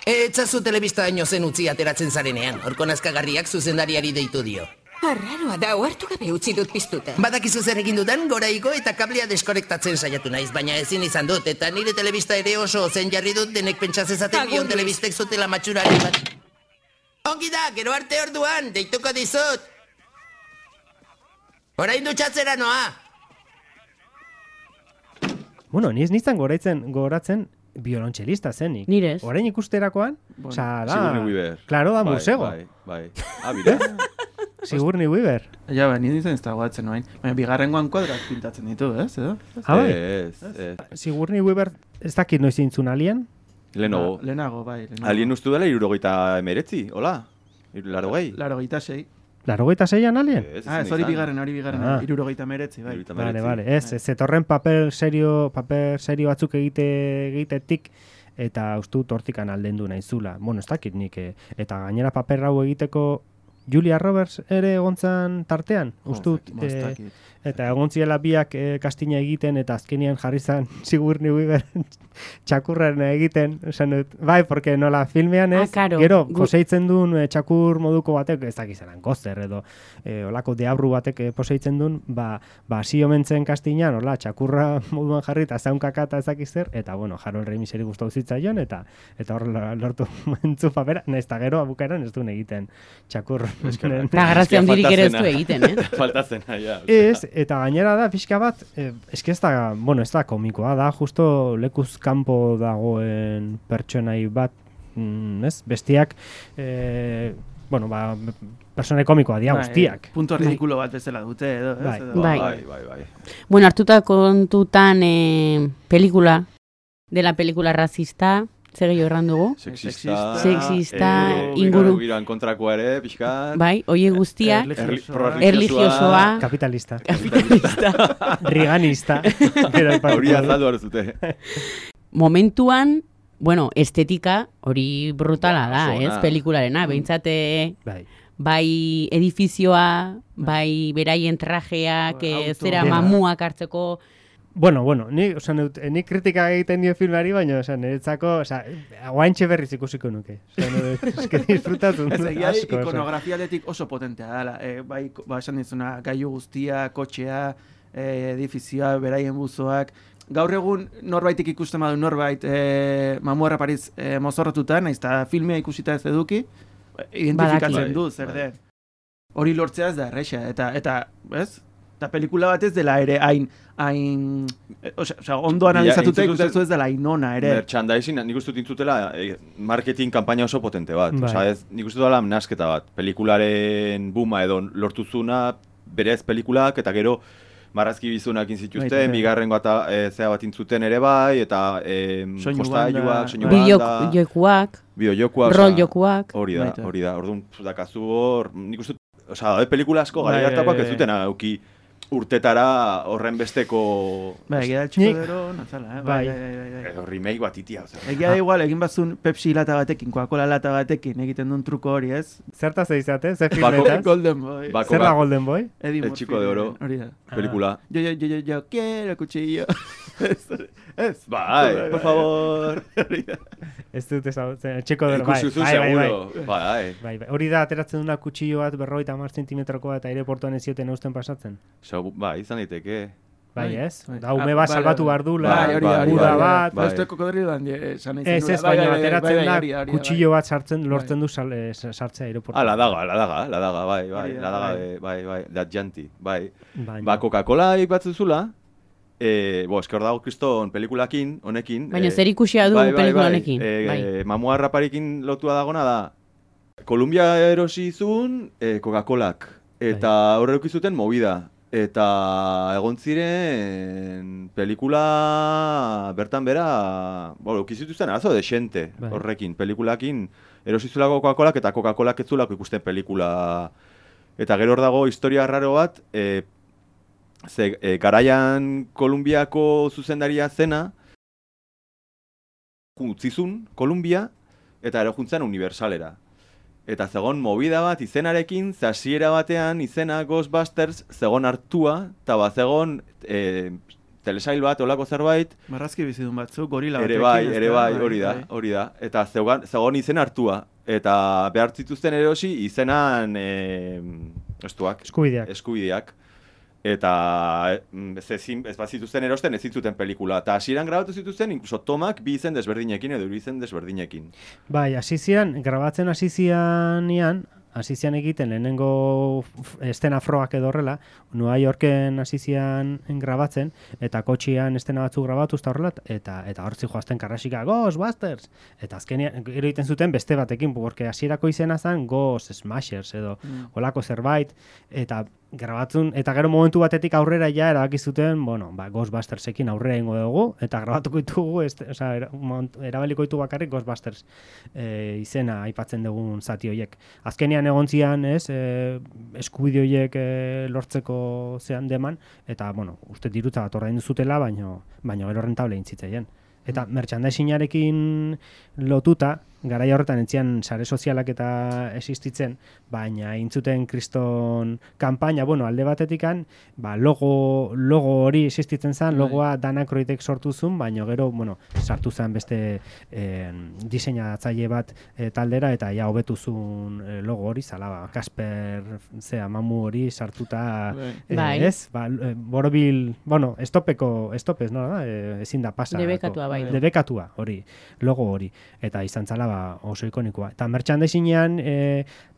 Etzazu telebista haino zen utzi ateratzen zarenean, horko nazkagarriak zuzendariari deitu dio. Arraroa da, ohartu gabe utzi dut piztuta. Badakizu zer egin dudan, gora igo eta kablea deskonektatzen saiatu naiz, baina ezin izan dut, eta nire telebista ere oso zen jarri dut denek pentsazezaten Agur, bion Luis. telebistek zutela matxurari bat. Ongi da, gero arte orduan, deituko dizut. Orain dutxatzera noa. Bueno, ni ez nintzen goratzen, goratzen biolontxelista zenik. Nire ez. Orain ikusterakoan, Bueno, osea, da... Sigourney Weaver. Claro, da Bai, musego. Bai, bai. Ah, bira. Sigourney Weaver. Ja, ba, nire izan ez da guatzen noain. Baina bigarrengoan kuadrak pintatzen ditu, ez? Edo? Ah, bai. Ez, ez. Sigourney Weaver, ez dakit noiz intzun alien. Lehenago. Ba, lehenago, bai. Lehenago. Alien ustu dela irurogeita emeretzi, hola? Larogei? Laro gita sei. Laurogeita seian alien? Ah, ez hori bigarren, hori bigarren, Ah. hirurogeita hemeretzi, bai. Vale, vale, ez, ez etorren paper serio, paper serio batzuk egite, egitetik, eta uste dut hortikan aldendu naizula. Bueno, ez dakit nik, eh, eta gainera paper hau egiteko Julia Roberts ere egontzan tartean, uste dut, Bo, ez eh, dakit. eta egon ziela biak eh, kastina egiten, eta azkenean jarri zen Sigourney Weaver txakurren egiten, esan dut, bai, porque nola filmean ez, Ah, karo. gero, Gu- poseitzen duen eh, txakur moduko batek, ez dakit zelan, gozer edo, eh, olako deabru batek eh, poseitzen duen, ba, ba, hasi omentzen kastinan, hola, txakurra moduan jarri, eta zaunkaka eta ez dakit zer, eta, bueno, Harold Ramiseri gustatu zitzaion, eta eta hor lortu mentzu papera, nahiz eta gero abukaeran ez duen egiten txakur. Da, grazia handirik ere ez du egiten, eh? Faltatzen, ja. Ez, eta gainera da, pixka bat, eh, eske ez da, bueno, ez da komikoa, da, justo lekuz kanpo dagoen pertsonai bat, mm, ez, bestiak, eh, bueno, ba, personai komikoa dia Bai, guztiak. Punto ridikulo bat bezala dute, edo, ez? Bai. Edo- Bai. Bai, bai, bai. Bueno, hartuta kontutan eh, pelikula, de la pelikula racista, zer gehiago erran dugu? Sexista. Sexista, eh, inguru- Giroan kontrakoa ere, pixkat. Bai, oie guztia, Erli- erlijiosoa, Kapitalista. kapitalista. Riganista. Gero aipatuko Hori dut. azaldu arzute. Momentuan, bueno, estetika hori brutala da, Oso ona. ez, pelikularena, behintzate Bai. bai edifizioa, bai beraien trajeak, eh, Auto. zera Dena. mamuak hartzeko, Bueno, bueno, ni, oza, neut, ni kritika egiten dio filmari, baina, oza, niretzako, oza, guaintxe berriz ikusiko nuke. Oza, neut, eske disfrutatu Ez egia asko, oza. ikonografialetik oso potentea dela. E, bai, ko- ba, esan dizuna, gailu guztia, kotxea, e, edifizioa, beraien buzoak. Gaur egun norbaitik ikusten badu norbait e, mamuarra Pariz e, mozorrotuta, naiz eta filmea ikusita ez eduki, identifikatzen Badaki. du zer Bai. den. Hori lortzea ez da erresa, eta, eta ez? Eta pelikula bat ez dela ere hain, hain, e, osea, osea, ondo analizatuta entzuten- ikusten ez dela hain ona ere. Merchandising, nik uste dut intzutela eh, marketing kanpaina oso potente bat. Bai. Osa, ez, nik uste dut dela nasketa bat. Pelikularen buma edo lortuzuna, berez pelikulak, eta gero marrazki bizunak inzituzten, Baita, bai. bigarrengo eta e, zea bat intzuten ere bai, eta e, Soinu jostailuak, banda, soinu bai. banda, bideokuak, bideojokoak, rol osea, jokuak. hori da, Baita. hori da. Orduan, pf, dakazu hor, nik uste dut, osea, daude pelikula asko Bai, gara hartakoak bai, ez bai. duten auki urtetara horren besteko Bai, egia da Nik- txiko nazala, eh? Bai. Bai, bai, bai, bai. edo remake bat itia, osea. Egia da igual, egin bazun Pepsi lata batekin, Coca-Cola lata batekin egiten duen truko hori, ez? Zertaz eizate, ze Bako- filmetaz? Golden Boy. Bako Zer da bat, Golden Boy? Eddie El Murphy, chico de oro. Hori da. pelikula. Yo, yo, yo, yo, yo quiero cuchillo. ez, ez. Bai, por favor. Hori da. Ez dut ezagutzen, txeko dero, bai, Ikusi zu bai, bai, bai. seguro. Bai, Bai, bai. Hori da, ateratzen duna kutsillo bat berrogeita hamar zentimetrokoa eta aireportuan ez zioten eusten pasatzen. Segu- bai, izan daiteke. Bai, Bai, ez? bai. Da, ume Ah, bat bai, salbatu bai. behar dula, Bai, hori da, hori da, uda hori da. bat. Ba, esto kokodriloan esan nahi Ez, zenula. ez, Bai, baina bai, bai, ateratzen bai, da, hori hori kutsillo bai. bat sartzen, lortzen du sal, eh, sartzea aireportuan. Ah, la daga, la daga, la daga, bai, bai, Hori da, la daga, bai. de, bai, bai, da janti, bai. Baina. Ba, Coca-Cola ipatzen zula, eh, bo, esker dago kriston pelikulakin, honekin. Baina eh, zer ikusia du bai, bai, pelikula bai, honekin. eh, Bai. eh, mamua raparikin lotua dagona da, Kolumbia erosi zuen eh, Coca-Colak, eta horre zuten movida. Eta egon ziren pelikula bertan bera, bo, eukizituzten arazo desente Bai. horrekin, pelikulakin erosizulako Coca-Colak eta Coca-Colak ez zulako ikusten pelikula. Eta gero hor dago historia raro bat, e, ze, e, garaian Kolumbiako zuzendaria zena, utzizun Kolumbia eta ero juntzen Universalera. Eta zegon movida bat izenarekin, ze hasiera batean izena Ghostbusters zegon hartua, eta bat zegon e, telesail bat, olako zerbait, Marrazki bizidun batzuk, gorila ere batekin. bai, ez ere da? bai, hori da, hori da. Eta zegon, zegon izen hartua. Eta behar zituzten erosi izenan e, estuak, Eskubideak. eskubideak. Eta mm, ez, ezin, ez bat zituzten erosten ez zituzten pelikula. Eta hasieran grabatu zituzten, inkluso tomak bi izen desberdinekin edo hiru izen desberdinekin. Bai, hasi zian, grabatzen hasi zianean, hasi zian egiten lehenengo f- estena froak edo horrela, New Yorken hasi zian grabatzen, eta kotxian estena batzuk grabatu eta horrela, eta eta hortzi joazten karrasika, Ghostbusters! Eta azkenean, gero egiten zuten beste batekin, porque hasierako izena zen Ghost Smashers edo Mm. olako zerbait, eta grabatzen, eta gero momentu batetik aurrera ja erabaki zuten, bueno, ba, Ghostbustersekin aurrera ingo dugu, eta grabatuko ditugu, este, osea, era, erabaliko ditu bakarrik Ghostbusters e, izena aipatzen dugun zati horiek. Azkenean egon zian, ez, e, eskubide horiek e, lortzeko zean deman, eta, bueno, uste dirutza bat ordaindu zutela, baino, baino gero rentable intzitzeien. Eta merchandisingarekin lotuta, garai horretan entzian sare sozialak eta existitzen, baina intzuten kriston kanpaina, bueno, alde batetikan, ba, logo, logo hori existitzen zen, logoa Dana Aykroydek sortu zuen, baina gero, bueno, sartu zen beste eh, diseinatzaile bat eh, taldera, eta ja hobetu zuen eh, logo hori, zala, ba, Kasper, zea, mamu hori sartuta, eh, bai. ez? Ba, eh, borobil, bueno, estopeko, estopez, no, da? Eh, ezin da pasa. Debekatua, bai. Debekatua, hori, logo hori, eta izan zala, ba, oso ikonikoa. Eta merchandisingean e,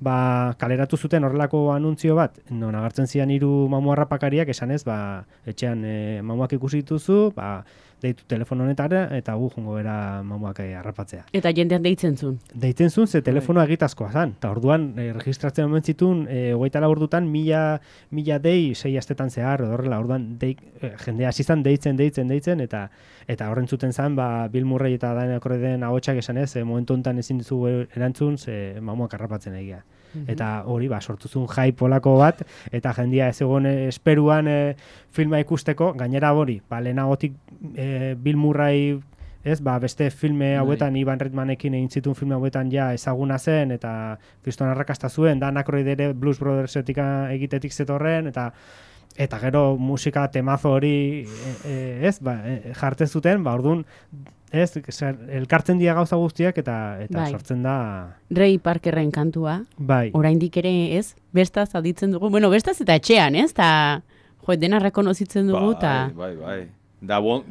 ba, kaleratu zuten horrelako anuntzio bat, non agertzen zian hiru mamu harrapakariak esanez, ba, etxean e, mamuak ikusi dituzu, ba, deitu telefono honetara, eta gu jongo bera mamuak e, harrapatzea. Eta jendean deitzen zuen. Deitzen zuen, ze telefonoa egitazkoa zan. Eta orduan, e, registratzen omen zituen, e, hogeita lau ordutan, mila, mila dei, sei astetan zehar, horrela, orduan, dei, e, jendea hasi zan deitzen, deitzen, deitzen, eta eta horren zuten zan, ba, Bill Murray eta Dana Aykroyden ahotsak esanez, e, momentu honetan ezin dizu erantzun, ze mamuak harrapatzen egia. Mm-hmm. Eta hori, ba, sortu zuen hype olako bat, eta jendia ez egon esperuan e, filma ikusteko, gainera hori, ba, lehenagotik e, Bill Murray, ez, ba, beste filme hauetan, Ivan Reitmanekin egin zituen filme hauetan ja ezaguna zen, eta kriston arrakasta zuen, Dan Aykroyd ere Blues Brothersetik egitetik zetorren, eta eta gero musika temazo hori e, e, ez, ba, e, jartzen zuten, ba, orduan, ez, elkartzen dira gauza guztiak, eta, eta bai. Sortzen da... Ray Parkerren kantua, bai. Oraindik ere, ez, bestaz aditzen dugu, bueno, bestaz eta etxean, ez, eta, jo, dena rekonozitzen dugu, eta... Bai, bai, bai. Da one,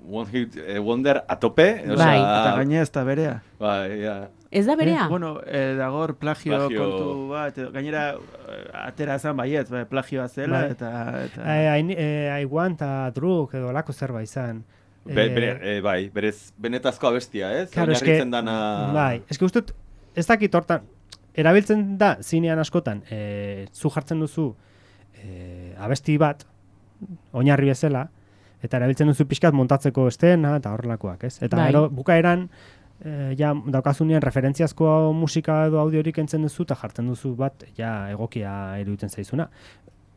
one hit eh, wonder a tope, o bai. sea, Eta gaine ez da berea. Bai, ja. Ez da berea? Eh, bueno, eh, dagor plagio, Plagio. kontu bat, gainera eh, atera zan baiet, bai, plagioa zela, Bai. eta... eta... I, I, eh, I want a drug edo lako zerbait izan. Be, bere, eh, bai, berez benetazko abestia, ez? Claro, eske, Oinarritzen dana... bai, eske ustut, ez dakit hortan, erabiltzen da zinean askotan, e, zu jartzen duzu e, abesti bat, oinarri bezala, eta erabiltzen duzu pixkat montatzeko estena eta horrelakoak, ez? Eta bai. gero bukaeran, e, ja daukazunean referentziazko musika edo audiorik entzen duzu, eta jartzen duzu bat, ja egokia iruditzen zaizuna.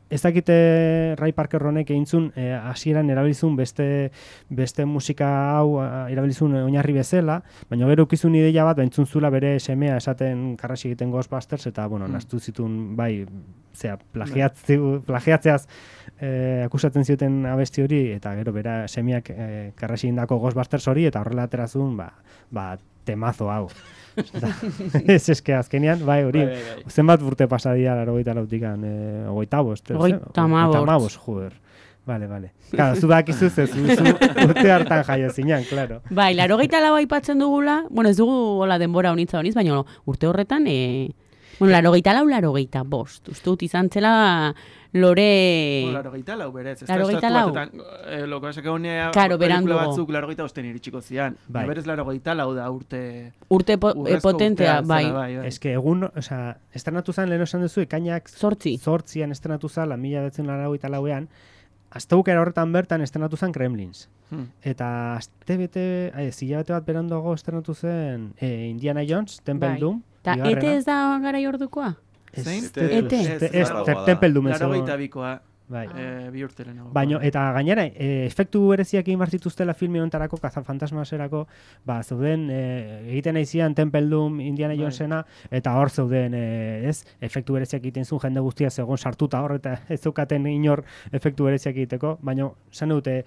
Ez dakite Ray Parker honek egintzun eh, hasieran erabilizun beste beste musika hau eh, erabilizun oinarri bezala, baina gero ukizun ideia bat baintzun zula bere semea esaten karrasi egiten Ghostbusters, eta bueno, Mm. nastu zitun bai, zera, plagiatze- plagiatzeaz eh, akusatzen zioten abesti hori, eta gero bera semeak eh, karrasi egindako Ghostbusters hori, eta horrela aterazun, ba, ba, temazo hau. Da, ez eske azkenean, bai, hori, Bai, bai, bai. zenbat urte pasadia laurogeita lautikan, eh, hogeita bost, ez? Hogeita hamabost. Hogeita hamabost, joder. Vale, vale. Claro, zu dakizu ze, zu, zu urte hartan jaio zinan, claro. Bai, larogeita lau aipatzen dugula, bueno, ez dugu hola denbora honitza honiz, baina urte horretan, e, bueno, larogeita lau, larogeita bost. Uste dut izan zela lore... Bueno, larogeita lau berez. Ez Larogeita lau. Eh, loko esake honea, Claro, pelikula berandugo. batzuk larogeita osten iritsiko zian. Bai. Berez larogeita lau da urte... Urte po, e, urrezko potentea, urtea bai. zela, bai, bai. Eske egun, osea, estrenatu zen lehen esan duzu, ekainak Zortzi. zortzian estrenatu zala, mila betzen laurogeita lauean, astebukera horretan bertan estrenatu zen Gremlins. Hmm. Eta aste bete, ai, zilabete bat beranduago estrenatu zen eh, Indiana Jones, Temple Bai. Doom. Ta bigarrena. ete ez da garai ordukoa? Ez, Zein? ez, Ete. ez, Ez, ez, ez, te- Temple Doom ez Larogeita egon. bikoa, Bai. eh, bi urte lehenago. Baino, eta gainera, e, efektu bereziak egin bartituztela filme honetarako, kazafantasmaserako, ba, zeuden, e, egiten aizian Temple Doom, Indiana Bai. Jonesena, eta hor zeuden, e, ez, efektu bereziak egiten zuen jende guztia zegoen sartuta hor, eta ez zeukaten inor efektu bereziak egiteko, baina, zan dute,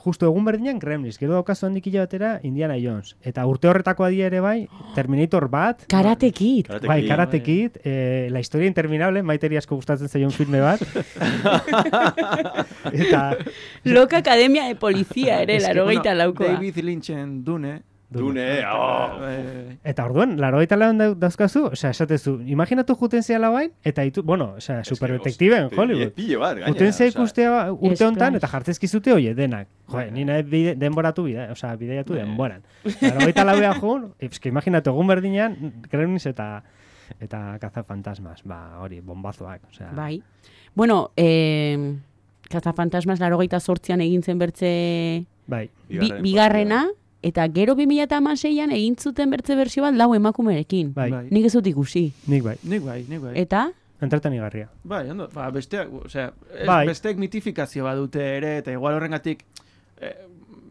justu egun berdinan Gremlins, gero daukazu handik batera Indiana Jones, eta urte horretako adia ere bai, Terminator bat, Karate Kid. Karate bai, Kid. Karate Kid, eh, La historia interminable, Maiteri asko gustatzen zaion filme bat, eta... Loka Academia de Polizia ere, Es que, larogeita bueno, laukoa. David Lynchen Dune. Dune, oh. Eh, Eta orduan, larogeita lauan dau- dauzkazu, osea, esatezu, imaginatu juten zehala bain, eta ditu, bueno, osea, superdetektibe en Hollywood. Pille bat, gaina. Juten ze osea, ikustea urte hontan, Splash. eta jartzezkizute hoie denak. Jo, ni nahi bide, denboratu bide, osea, bideiatu denboran. Larogeita lauean joan, eske imaginatu egun berdinean, Gremlins eta eta Cazafantasmas, ba, hori, bombazoak, osea. Bai. Bueno, eh, Cazafantasmas laurogeita zortzian egin zen bertze bai. bi, bigarrena, eta gero bi mila hamaseian egin zuten bertze bersio bat lau emakumerekin. Bai. Bai. Nik ez dut ikusi. Nik bai. Nik bai, nik bai. Eta? Entretenigarria. Bai, ondo, ba, besteak, osea, ez, Bai. besteek mitifikazio badute ere, eta igual horrengatik, eh,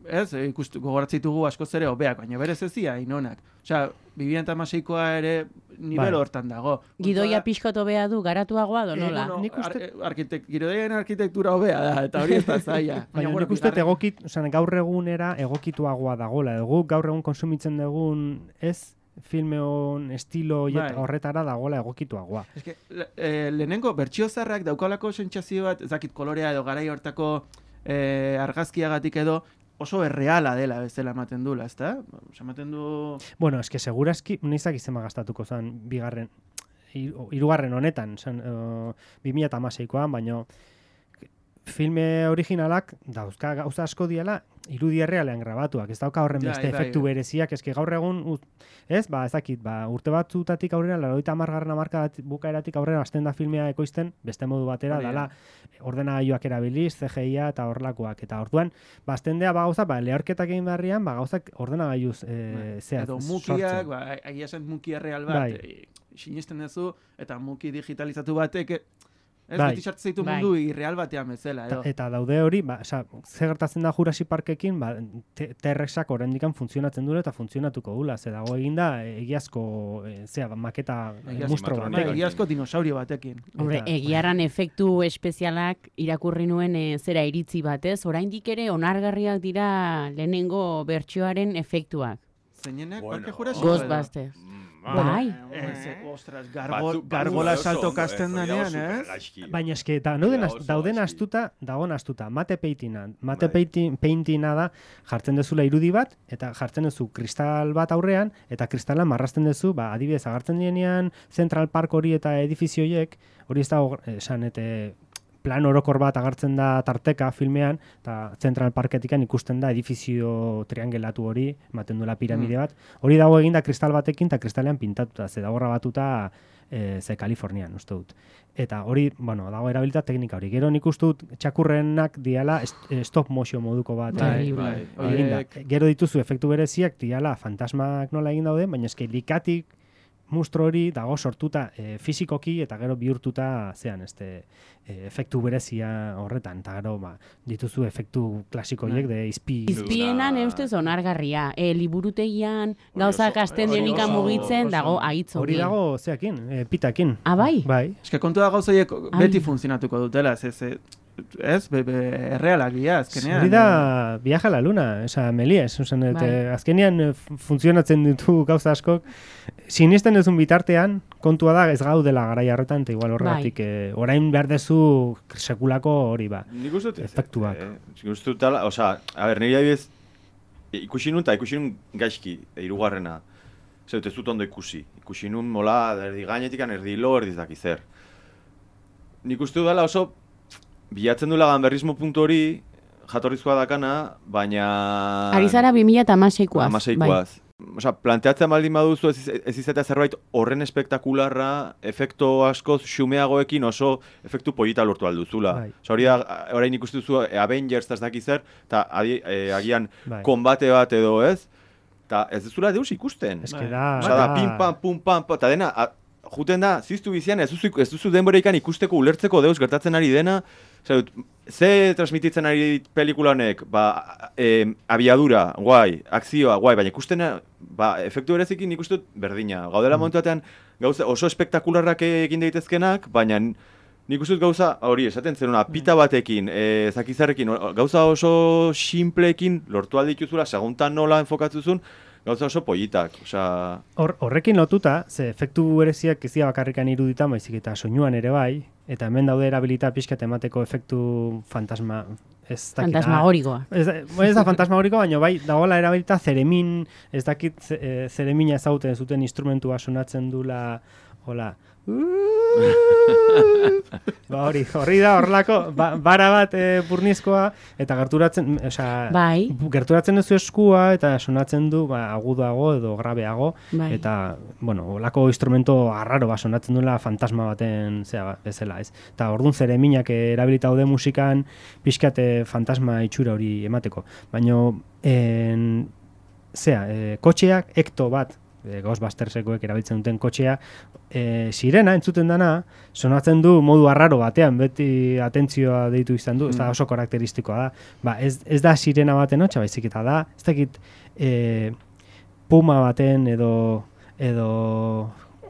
ez, ikustu, gogoratzitugu askoz ere hobeak, baina berez ez dira inonak. Osea, bi mila hamaseikoa ere nivel Bai. hortan dago. Gidoia pixkot hobea du, garatuagoa do nola? Eh, bueno, Nik uste- ar, arkitek, gidoiaren arkitektura hobea da, eta hori ez da zaila. Baina bueno, nik uste bigarren- egokit, osea, gaur egunera egokituagoa dagola. Egu gaur egun konsumitzen dugun, ez, filme hon estilo Bai. bai. horretara dagoela egokituagoa. Ez que, le, eh, lehenengo bertsio zarrak daukalako sentsazio bat, ez dakit kolorea edo garai hortako eh, argazkiagatik edo oso erreala dela bezala ematen dula, ezta? Osa, ematen du... Bueno, eske segurazki, nizak izema gastatuko zen bigarren, hiru- hirugarren honetan, zen, uh, bi mila hamaseikoan, baino filme originalak dauzka gauza asko diela irudi errealean grabatuak, ez dauka horren Bai, beste bai, efektu bai. bereziak, eske gaur egun, ut- ez, ba, ez dakit, ba, urte batzutatik aurrera, laurogeita hamargarren hamarkadatik bukaeratik aurrera hasten da filmea ekoizten, beste modu batera, Hori da. dala, ordenagailuak erabiliz, C G I-a eta horrelakoak, eta orduan, ba, hasten dea, ba, gauza, ba, lehorketak egin beharrian, ba, gauzak ordenagailuz, e, zehaz, Edo sortzen. mukiak, ba, egia esan muki erreal bat, Bai. e, sinisten duzu, eta muki digitalizatu batek, e, ez Bai. beti sartzen zaitu Bai. mundu irreal batean bezala, Ta, edo. eta daude hori, ba, oza, ze gertatzen da Jurassic Parkekin, ba, T- T-Rexak oraindikan funtzionatzen dure eta funtzionatuko dula, ze dago eginda egiazko, e, zea, ba, maketa Egiazko mustro animatronik. Bai, batekin. egiazko dinosaurio batekin. Hombre, Eta- egiarran efektu espezialak irakurri nuen e, zera iritzi batez, oraindik ere onargarriak dira lehenengo bertsioaren efektuak. Zeinenak, Bueno. parke jurasiko Ghostbusters. Bai. Eh, ostras, gargo, Batzuk- gargola batzuk salto oso, kasten eh, danean, oso ez? supergaizki. Baina eske, eta dauden, Dira az- oso dauden gaizki. astuta, dagoen astuta, mate paintina. Mate Bai. painting, paintina da, jartzen dezula irudi bat, eta jartzen duzu kristal bat aurrean, eta kristalan marrazten duzu, ba, adibidez, agartzen dienean Central Park hori eta edifizioiek, hori ez dago, esan, eta plan orokor bat agartzen da tarteka filmean, eta Central Parketikan ikusten da edifizio triangelatu hori, ematen duela piramide bat. Hori dago eginda kristal batekin eta kristalean pintatuta, ze dago grabatuta e, ze Kalifornian, uste dut. Eta hori, bueno, dago erabilita teknika hori. Gero nik uste dut txakurrenak diala est- eh, stop motion moduko bat. Bai, eh, bai. eginda. Horiek- Gero dituzu efektu bereziak diala fantasmak nola egin dauden, baina eske likatik mustro hori dago sortuta e, fisikoki eta gero bihurtuta zean este e, efektu berezia horretan eta gero ba, dituzu efektu klasiko horiek de izpi. Izpienan Duna- eustez onargarria. E, liburutegian gauzak oso- asten hori denika oso- mugitzen oso- dago aitz Hori dago zeakin, e, pitakin. Ah, bai? Bai. Eske kontu da gauzaiek Ai. beti funtzionatuko dutela, ez, ez, ez, be, be, errealak dira, azkenean. Hori da Viaje a la Luna, oza, Melies, ozen, et, Bai. eh, azkenean eh, fu- funtzionatzen ditu gauza askok. Sinisten duzun bitartean, kontua da ez gaudela garai horretan, eta igual horregatik, eh, orain behar dezu sekulako hori ba. Nik uste dut ez, Efektuak. eh, nik uste dut ala, osea, a ber, nire adibidez, e, ikusi nun eta ikusi nun gaizki, e, hirugarrena. Zer dut ez dut ondo ikusi. Ikusi nun mola, erdi gainetikan, erdi lo, erdi zaki zer. Nik uste dut dela oso, bilatzen duela ganberrismo puntu hori, jatorrizkoa dakana, baina... Ari zara bi mila hamaseikoaz. Hamaseikoaz. Osea, planteatzen baldin baduzu ez, iz- ez izatea zerbait horren espektakularra, efekto askoz xumeagoekin oso efektu polita lortu alduzula. Bai. Osea, hori da, orain ikustu duzu e, Avengers ez daki zer, eta adi- e, agian Bai. konbate bat edo ez, eta ez duzula deus ikusten. Ez Bai. que da... Osea, da, pim pam, pum pam, eta dena, a, juten da, ziztu bizian, ez duzu, ez duzu denboreikan ikusteko ulertzeko deus gertatzen ari dena, osea, dut, ze transmititzen ari pelikula honek, ba, e, abiadura, guai, akzioa, guai, baina ikusten, ba, efektu berezikin ikusten dut berdina. Gaudela Mm. momentu batean, gauza oso espektakularrak egin daitezkenak, baina nik uste dut gauza, hori, esaten zen, una pita batekin, e, zakizarrekin, o- gauza oso simpleekin lortu aldituzula, seguntan nola enfokatzuzun, gauza oso politak, osea... Hor, horrekin lotuta, ze efektu bereziak ez dira bakarrikan iruditan, baizik eta soinuan ere bai, eta hemen daude erabilita pixkat emateko efektu fantasma, ez dakit. Fantasmagorikoa. Ez, ez da fantasmagorikoa, baina bai, dagoela erabilita zeremin, ez dakit e, zeremina ezauten zuten instrumentua sonatzen dula, hola, ba hori, horri da horrelako ba, bara bat e, burnizkoa eta gerturatzen, osea, bai. gerturatzen duzu eskua eta sonatzen du ba, agudago edo grabeago bai. Eta, bueno, holako instrumento arraro ba, sonatzen duela fantasma baten zea bezala, ez? Eta orduan zereminak erabilita daude musikan pixkat fantasma itxura hori emateko. Baina, en, zea, e, kotxeak ekto bat, E, Ghostbustersekoek erabiltzen duten kotxea, e, sirena entzuten dana, sonatzen du modu arraro batean, beti atentzioa deitu izan du, mm. ez da oso karakteristikoa da. Ba, ez, ez da sirena baten hotxa, baizik eta da, ez dakit e, puma baten edo, edo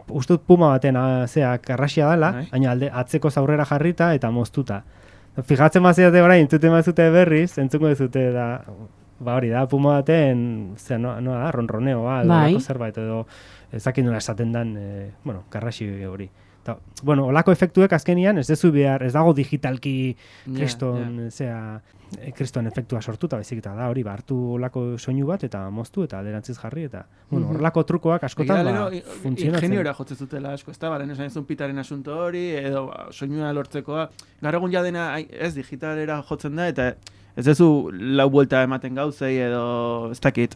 ustut puma baten a, zea karrasia dela, baina alde atzeko zaurrera jarrita eta moztuta. Fijatzen baziate orain, entzuten bazute berriz, entzungo dezute da, ba hori da, puma baten, zera, noa, noa da, ronroneoa, edo bai. olako zerbait, edo ezakin nola esaten dan, e, bueno, karraxi hori. Ta, bueno, olako efektuek azkenian, ez dezu behar, ez dago digitalki kriston, yeah, yeah. zera, kriston efektua sortuta, baizik eta da hori, ba, hartu olako soinu bat, eta moztu, eta alderantziz jarri, eta, bueno, horrelako trukoak askotan, ba, funtzionatzen. Ingeniora jotzen zutela asko, ez da, baren esan ezun pitaren asunto hori, edo soinua lortzekoa, gaur egun jadena, ez, digitalera jotzen da, eta ez dezu lau buelta ematen gauzei edo ez dakit.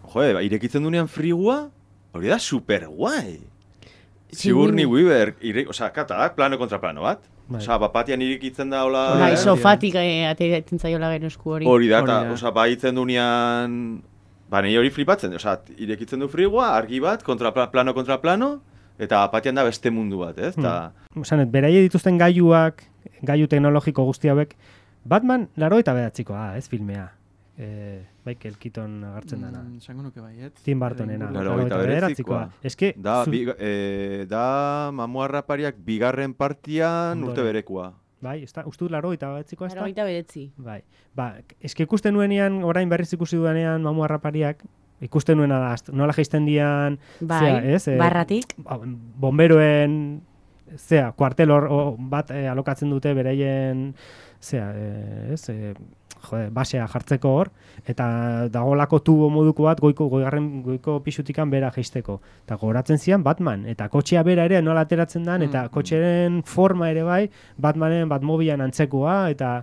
Joe, ba, irekitzen dunean frigua, hori da super guai. Sigourney Weaver, ire, oza, kata da, plano kontra plano bat. Bai. Oza, bapatian irekitzen da hola... Bai, sofatik ateratzen zaiola gero esku hori. Hori da, eta, oza, baitzen dunean... Ba, nahi hori flipatzen, oza, irekitzen du frigua, argi bat, kontra plano kontra plano, eta bapatian da beste mundu bat, ez? Ta... Hmm. Osanet, beraie dituzten gailuak, gailu teknologiko guzti hauek, Batman laro eta bedatzikoa, ez filmea. E, Michael Keaton agartzen dana. Mm, Zango nuke bai, ez? Tim Burtonena. Laro eta bedatzikoa. Eske, da, zu... bi, e, da mamuarrapariak bigarren partian Ondore. Urte berekoa. Bai, ez da, uste dut laro eta bedatzikoa ez da? Laro eta bedetzi. Bai, ba, eske ikusten nuenean, orain berriz ikusi duenean mamuarrapariak, ikusten nuena da, nola geisten dian, bai, zea, ez? E, barratik. Bomberoen, zea, kuartel hor bat e, alokatzen dute bereien, zea, e, ez, e, jode, basea jartzeko hor, eta dagolako tubo moduko bat goiko, goigarren goiko pisutikan bera jeisteko. Eta gogoratzen zian Batman, eta kotxea bera ere nola ateratzen dan, eta kotxeren forma ere bai, Batmanen Batmobilan antzekoa, eta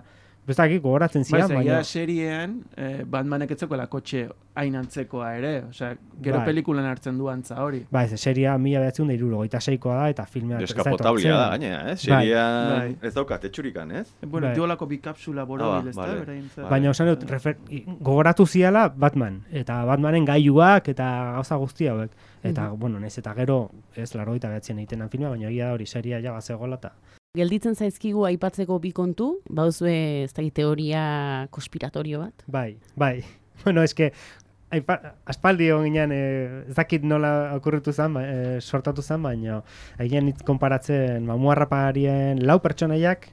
bestakik gogoratzen zian. Bai, baina seriean, eh, Batmanek etzekoela kotxe hain antzekoa ere, osea, gero bai. Pelikulan hartzen du antza hori. Bai, seria mila behatzen da hirurogeita seikoa da, eta filmea... Eskapotablia da, gainera, eh? Seria bai. Ez daukat, etxurikan, ez? Eh, bueno, bai. Diolako bi kapsula borobil, ez da? Baina, osan dut, gogoratu ziala Batman, eta Batmanen gailuak, eta gauza guzti hauek. Eta, mm-hmm. bueno, naiz eta gero, ez larogeita behatzen egiten filmea, baina egia da hori seria ja bazegoela, eta... Gelditzen zaizkigu aipatzeko bi kontu, bauzue ez da teoria konspiratorio bat? Bai, bai. Bueno, eske aipa, aspaldi ginean eh, ez dakit nola okurritu zen, eh, sortatu zen, baina egin hitz konparatzen mamuarraparien lau pertsonaiak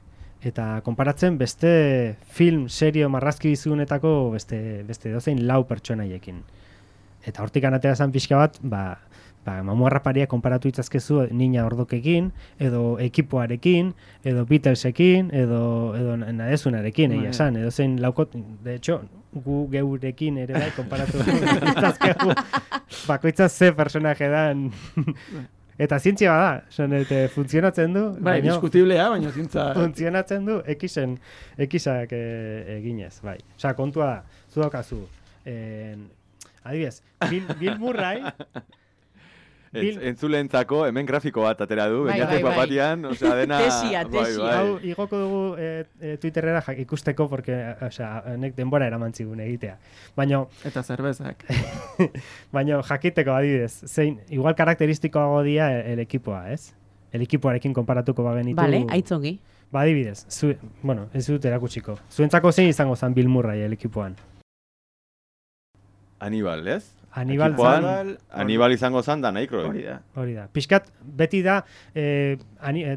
eta konparatzen beste film, serio, marrazki bizunetako beste, beste dozein lau pertsonaiekin. Eta hortik anatera zen pixka bat, ba, ba, mamuarraparia konparatu itzazkezu Nina Ordokekin, edo ekipoarekin, edo Beatlesekin, edo, edo nadezunarekin, egia esan, edo zein laukot, de hecho, gu geurekin ere bai konparatu itzazkegu, bakoitzaz ze personaje dan, eta zientzia bada, son, eta funtzionatzen du. Bai, diskutiblea, baina zientza... Funtzionatzen du, ekisen, ekisak e, eginez, bai. Osa, kontua da, zu daukazu, en, adibidez, Bill, Bill Murray... Bill... Entzulentzako hemen grafiko bat atera du, bai, bainatek bai, papatian, bai. Osea, dena... Tesia, tesia. Bai, bai. Hau, igoko dugu e, e, Twitterera ikusteko, porque, osea, nek denbora eraman zigun egitea. Baina... Eta zerbezak. Baina jakiteko adibidez, zein, igual karakteristikoago dia el, el ekipoa, ez? El ekipoarekin konparatuko bagenitu... Vale, aitzongi. Ba, adibidez, zu, bueno, ez dut erakutsiko. Zuentzako zein izango zen Bill Murray el ekipoan? Aníbal, ez? Aníbal, zan, Aníbal izango zan Dan Aykroyd. Hori da. Hori da. Piskat, beti da, eh,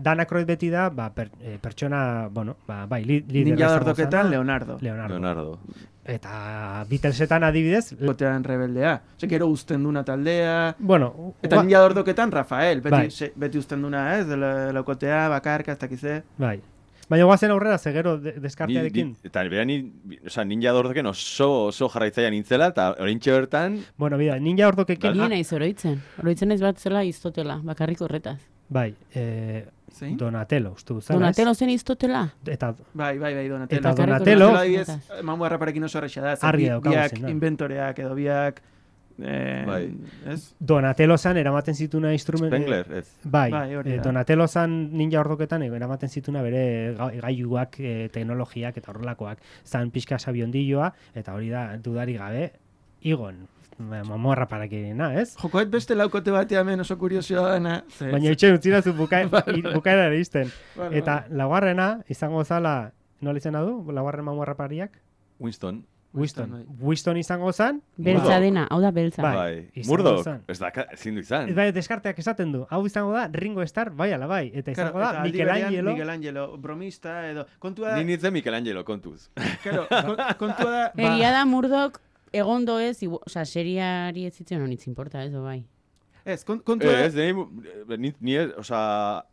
Dan Aykroyd beti da, ba, per, eh, pertsona, bueno, ba, bai, li, liderra Ninja Ordoketan Leonardo. Leonardo. Leonardo. Eta Beatlesetan adibidez... Gotean rebeldea. Ose, gero uzten duna taldea... Bueno... Eta ua... Ninja Ordoketan Rafael. Beti, bai. se, beti uzten duna, ez? De laukotea, bakarka, ez dakize. Bai. Baina guazen aurrera, zegero de, deskartearekin. Ni, ni, eta bera ni, oza, ninja ordokeken oso, oso jarraitzaia nintzela, eta orintxe bertan... Bueno, bida, ninja ordokekin... Ni naiz oroitzen. Oroitzen naiz bat zela Iztotela, bakarrik horretaz. Bai, eh, Zein? Donatello, uste duzela. Donatello zen Iztotela? Eta... Bai, bai, bai, Donatello. Eta Bakarrik Donatello... horretaz. Adibidez, mamu harraparekin oso horretxa da. Argi Bi- daukagu biak zen, da. inventoreak edo biak... Eh, Bai. Ez? Donatello zan eramaten zituna instrument... Spengler, ez. Bai, Bai, hori eh, da. Donatello zan ninja ordoketan eh, eramaten zituna bere ga- gailuak, eh, teknologiak eta horrelakoak. Zan pixka sabiondilloa, eta hori da, dudari gabe, igon. Mamorra parakirina, ez? Jokoet beste laukote batea hemen oso kuriosioa dana. Ze, Baina itxe utzirazu buka, bukaera ere izten. Vale, Eta laugarrena, izango zala, nola izena du, laugarren mamorra pariak? Winston. Winston. Winston, Winston izango zan, Beltza dena, hau da beltza. Bai. Bai. izango Murdoch, zen. ez da, ezin du izan. ez bai, deskarteak esaten du. Hau izango da Ringo Starr, bai ala bai. Eta izango Claro, da eta aldi berean Michelangelo. Michelangelo, bromista edo... Kontua Ni da... nintzen Michelangelo, kontuz. Claro, kon- kontua da... Egia da Murdoch egondo ez, igu- osea, seriari ez zitzen honitz importa, ez, o bai. Ez, kon- kontua Eh, da... ez, ni, ni, ni ez, oza,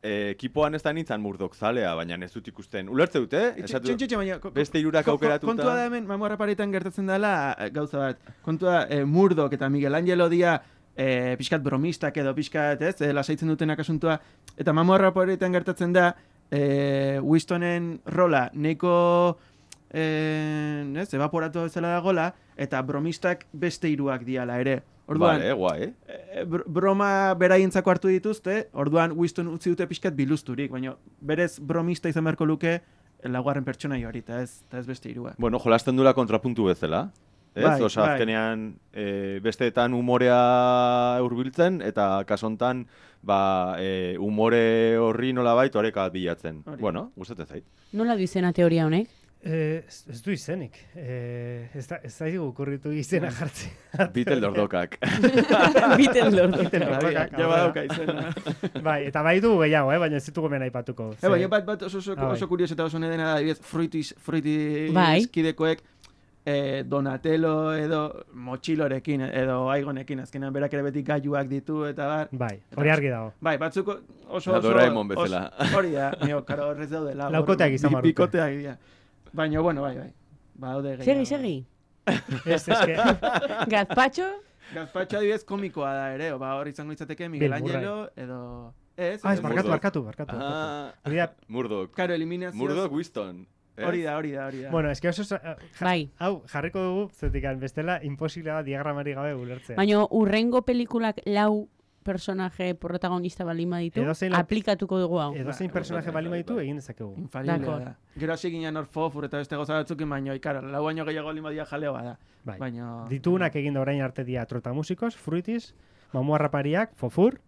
eh, ekipoan ez da nintzen Murdoch zalea, baina ez dut ikusten. Ulertze dute? Esatu, Txin, txin, txin, baina... ko- beste hirurak ko- ko- aukeratuta. Kontua da hemen, mamu harraparetan gertatzen dela eh, gauza bat. Kontua da, eh, Murdoch eta Michelangelo dia eh, pixkat bromistak edo pixkat, ez, eh, lasaitzen dutenak asuntua. Eta mamu harraparetan gertatzen da, eh, Winstonen rola neiko... Eh, ez, evaporatu bezala dagola, eta bromistak beste hiruak diala ere. Orduan, Vale, guai. e, br- broma beraientzako hartu dituzte, orduan Winston utzi dute pixkat biluzturik, baina berez bromista izan beharko luke laugarren pertsonaia hori, eta ez, eta ez beste hirua. Bueno, jolasten dula kontrapuntu bezala. Ez? Bai, Osa, bai. azkenean, e, besteetan umorea hurbiltzen eta kasontan, ba, e, umore horri nolabait oreka bilatzen. Hori. Bueno, gustatzen zait. Nola du izena teoria honek? Eh, ez, ez du izenik. Eh, ez da, ez da igu kurritu izena jartzea. Bitel dordokak. Biten lortu. Biten lordokak, Ja aurrera. badauka izena. Bai, eta bai du gehiago, eh? baina ez ditugu hemen aipatuko. E, baina bat, bat oso, oso, Ah, bai. oso kurioso eta oso nedena da, adibidez, fruitiz, fruitiz Bai. kidekoek, eh, Donatello edo motxilorekin edo aigonekin, azkenean berak ere beti gailuak ditu eta bar. Bai, hori argi dago. Bai, batzuko oso Da oso... Doraemon bezala. oso- Hori da, nio, karo horrez daudela. Laukoteak izan behar dute. Bikoteak dira. Baina, bueno, bai, bai. Badaude Segi, gehiago. segi. Ez, ez que... Gazpacho? Gazpacho adibidez komikoa da ere, ba, hor izango izateke Miguel Angelo edo... Ez, Ah, ez, ez, barkatu, Murdoch. barkatu, barkatu. barkatu. Ah, Hori da, Murdoch. Karo, eliminazioz... Murdoch Winston. ez? Hori da, hori da, hori da. bueno, eske oso... eh, ja- Bai. Hau, jarriko dugu, zetikan, bestela, imposible da diagramari gabe ulertzea. Baina urrengo pelikulak lau personaje protagonista balima ditu, Edozein lau- aplikatuko dugu hau. Edozein personaje bai, balima bai, ditu, bai. egin dezakegu. Infalible Dakor. da. Gero hasi ginen hor fofur eta beste goza batzukin, baina, ikara, lau baino gehiago lima dia jaleo da. Bai. Baina... Ditugunak egin da orain arte dia Trotamusikos, Fruitis, Mamu Harrapariak, Fofur,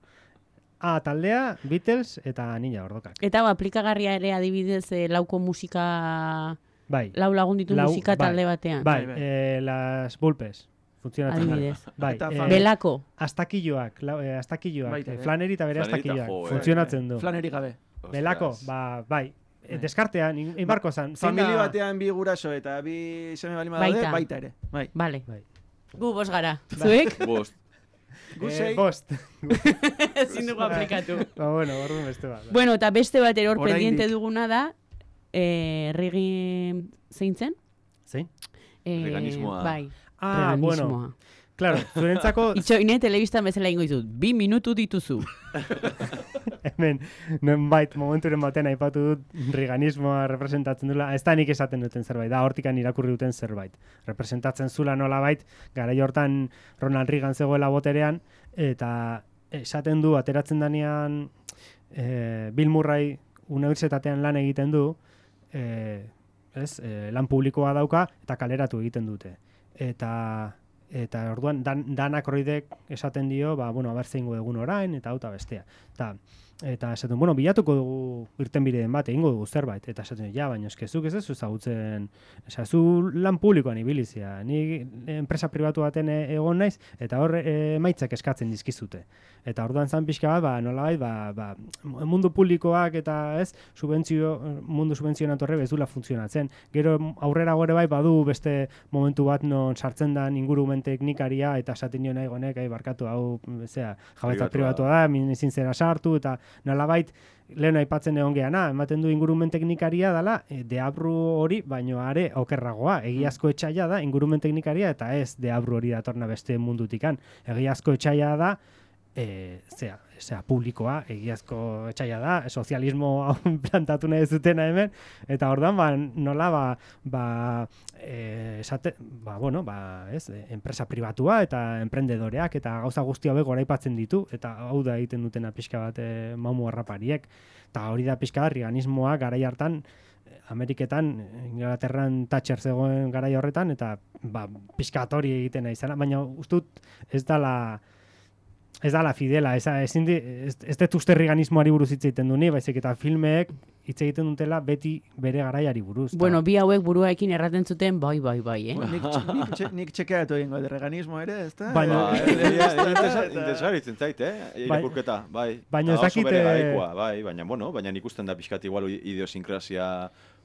A taldea, Beatles eta Ninja Ordokak. Eta hau, aplikagarria ere adibidez eh, lauko musika, Bai. lau lagun ditu Lau- musika bai. talde batean. Bai, Bai, bai. eh, las Bulpes. Funtzionatzen da. Adibidez. Bai, Eta eh, fan- Belako. astakilloak, lau, eh, astakilloak, Baita eh, ere. Flaneri eta bere Flaneri eta astakilloak. jo, eh. Funtzionatzen du. Flaneri gabe. Belako, Ostras. ba, bai. Eh, Deskartean, in- inbarko zan. zein Familia da- batean bi guraso eta bi seme balima Baita. daude, baita ere. Bai. Vale. Bai. Gu bos gara. Zuek? Bost. Gu Eh, sei. bost. Ezin dugu aplikatu. ba, bueno, orduan beste bat. Bueno, eta beste bat eror Oraindik. pendiente duguna da, eh, rigi zeintzen? Zein? Eh, Veganismoa. Bai. Ah, bueno. veganismoa. Claro, zurentzako Itxoine telebistan bezala ingo izut, bi minutu dituzu. hemen, nonbait, momenturen batean aipatu dut riganismoa representatzen dula, ez da nik esaten duten zerbait, da hortikan irakurri duten zerbait. Representatzen zula nolabait, garai hortan Ronald Reagan zegoela boterean, eta esaten du, ateratzen danean e, Bill Murray unibertsitatean lan egiten du, e, ez, e, lan publikoa dauka, eta kaleratu egiten dute. Eta eta orduan dan, danak horridek esaten dio, ba, bueno, aber zeingo egun orain, eta hau eta bestea. Eta, eta esaten, bueno, bilatuko dugu irtenbideen bat, egingo dugu zerbait. Eta esaten, ja, baina eskezuk ez ez ezagutzen, esa, zu lan publikoan ibilizia, ni enpresa pribatu baten e- egon naiz, eta hor e, emaitzak eskatzen dizkizute. Eta orduan zan pixka bat, ba, nolabait, ba, ba, mundu publikoak eta ez, subentzio, mundu subentzionatu horre ez dula funtzionatzen. Gero aurrera gore bai badu beste momentu bat non sartzen da ingurumen ingurumen teknikaria, eta esaten nio nahi gonek, ai, barkatu, hau, zera, jabetza Pribatua pribatua da, min ezin zera sartu, eta nolabait, lehen aipatzen egon geana, ematen du ingurumen teknikaria dela, e, deabru hori, baino are okerragoa, egiazko etxaila da, ingurumen teknikaria, eta ez deabru hori datorna beste mundutikan. Egiazko etxaila da, e, zera, zera, publikoa, egiazko etxaila da, sozialismo plantatu nahi zutena hemen, eta ordan ba, nola, ba, ba, e, esate, ba, bueno, ba, ez, enpresa pribatua eta emprendedoreak, eta gauza guzti hauek goraipatzen ditu, eta hau da egiten dutena pixka bat e, mamu harrapariek, eta hori da pixka bat, riganismoa garai hartan, Ameriketan, Inglaterran Thatcher zegoen garai horretan, eta ba, pixka bat hori egiten nahi zela, baina ustut ez dala, ez dala fidela, ez, ezin di, ez, ez dut uste riganismoari buruz hitz egiten du ni, baizik eta filmeek hitz egiten dutela beti bere garaiari buruz. Bueno, bi hauek buruaekin erraten zuten, bai, bai, bai, eh? Bueno, nik, nik, txe- nik txekeatu egingo de reganismo ere, ez da? Baina- Interesaritzen zait, eh? Irakurketa, bai. Baina ez Eta oso dakit, bere eh, garaikoa, bai, baina, bueno, baina ikusten da pixkat igual idiosinkrazia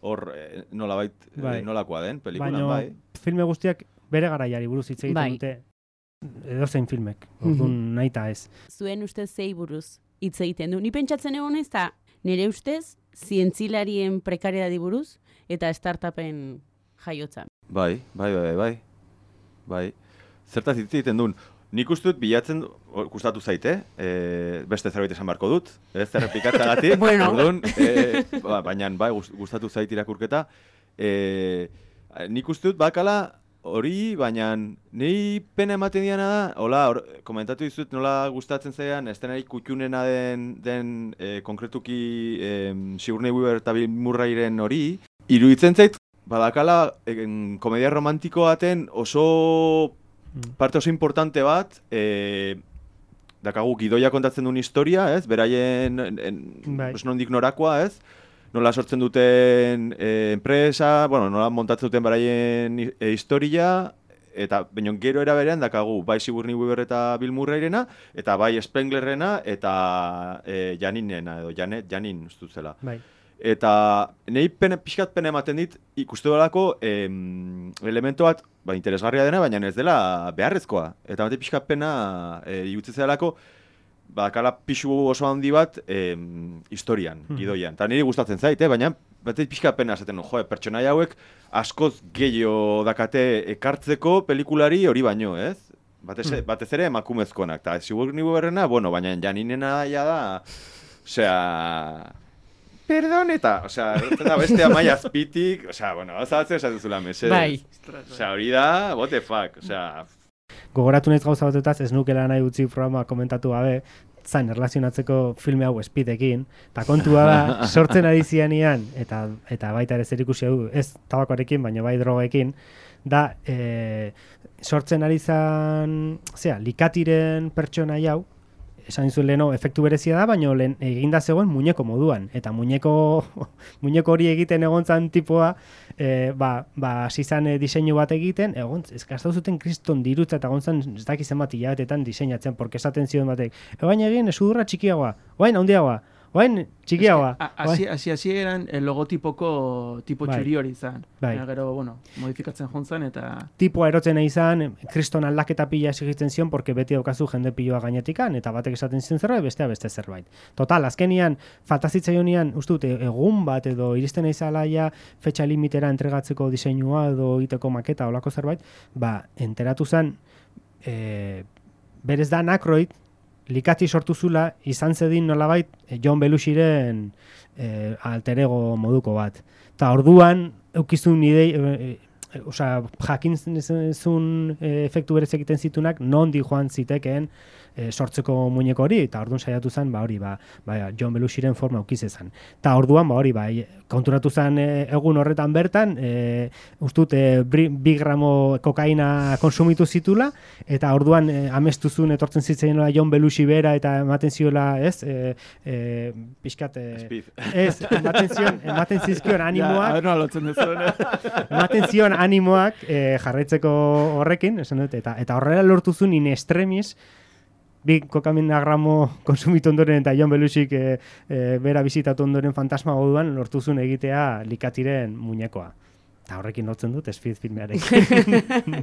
hor eh, nolabait eh, Bai. nolakoa den pelikulan, Baina bai. filme guztiak bere garaiari buruz hitz egiten Bai. dute, edozein filmek, orduan nahi eta ez. Zuen ustez zei buruz hitz egiten du. Ni pentsatzen egon ez da, nire ustez, zientzilarien prekariedadi buruz eta startupen jaiotzan. Bai, bai, bai, bai. Bai. Zertaz hitz egiten duen. Nik uste dut bilatzen, or, gustatu zaite, e, beste zerbait esan beharko dut, ez errepikatzagatik, Bueno. orduan, e, ba, baina bai, gust- gustatu zait irakurketa. E, nik uste dut bakala hori, baina nei pena ematen diana da, hola, or, komentatu dizut nola gustatzen zaian, estenari kutxunena den, den e, konkretuki e, Sigourney Weaver eta Bill Murrayren hori, iruditzen zait, badakala en, komedia romantiko baten oso parte oso importante bat, e, dakagu gidoia kontatzen duen historia, ez? Beraien en, en, Bai. pues, nondik norakoa, ez? Nola sortzen duten e, enpresa, bueno, nola montatzen duten beraien e, historia, eta baina gero era berean dakagu bai Sigourney Weaver eta Bill Murrayrena, eta bai Spenglerrena eta e, Janinena, edo Janet, Janin ustut zela. Bai. Eta nahi pene, pixkat pena ematen dit ikuste dolako em, elemento bat ba, interesgarria dena, baina ez dela beharrezkoa. Eta bate pixkat pena e, igutze zelako bakala pixu oso handi bat em, historian, gidoian. Eta niri gustatzen zait, eh? Baina bate pixkat pena esaten, jo, pertsonaia hauek askoz gehiago dakate ekartzeko pelikulari hori baino, ez? Batez, batez ere emakumezkonak. Eta Sigourney Weaverrena, bueno, baina Janinena ja da, osea... Perdón, eta, osea, erretzen da beste amaia azpitik, osea, bueno, ozatzen esatzen zula mesedez. Bai. Osea, hori da, what the fuck, osea... Gogoratu naiz gauza batetaz, ez nukela nahi utzi programa komentatu gabe, zain erlazionatzeko filme hau Speedekin, eta kontua da, sortzen ari zianian, eta, eta baita ere zerikusia du, ez tabakoarekin, baina bai drogekin, da, e, sortzen ari zan, zera, likatiren pertsona hau, esan zuen leheno, efektu berezia da, baina lehen eginda zegoen muñeko moduan. Eta muñeko, muñeko hori egiten egon zan tipoa, e, ba, ba, zizan e, diseinu bat egiten, egon, eskaztau zuten kriston dirutza eta egon zan, ez dakizen bat hilabetetan diseinatzen, porque esaten zion batek, ebain egin, esudurra txikiagoa, oain handiagoa, oain txikiagoa. Hasi hasi hasi eran el logotipoko tipo Bai. txuri hori izan. Bai. Baina gero, bueno, modifikatzen jontzan eta... Tipoa erotzen nahi izan, kriston aldaketa pila exigitzen zion, porque beti daukazu jende piloa gainetikan, eta batek esaten zion zerbait, bestea beste zerbait. Total, azkenian, faltazitzaionean, uste dut, egun bat edo iristen naizalaia fetxa limitera entregatzeko diseinua edo egiteko maketa olako zerbait, ba, enteratu zen, e, berez da Aykroyd, likati sortu zula, izan zedin nolabait eh, John Belushiren eh, alter ego moduko bat. Ta orduan, eukizun idei, eh, eh, osea, jakin zuen eh, efektu berez egiten zitunak, nondi joan zitekeen eh, sortzeko muñeko hori, eta orduan saiatu zen, ba hori, ba, ba John Belushiren forma eukiz ezan. Ta orduan, ba hori, ba, konturatu zen eh, egun horretan bertan, eh, ustut, eh, bi gramo kokaina konsumitu zitula, eta orduan eh, amestu zuen etortzen zitzen John Belushi bera, eta ematen ziola, ez, eh, eh, pixkat, eh, Speed. ez, ematen zion, ematen zizkion animoak, Ja, nola lotzen duzuen. ematen zion animoak eh, jarraitzeko horrekin, esan dut, eta, eta horrela lortu zuen in extremis, bi kokamina gramo konsumitu ondoren eta John Belushik e, e, bera bizitatu ondoren fantasma moduan lortu zuen egitea likatiren muñekoa. Eta horrekin lotzen dut Speed filmearekin.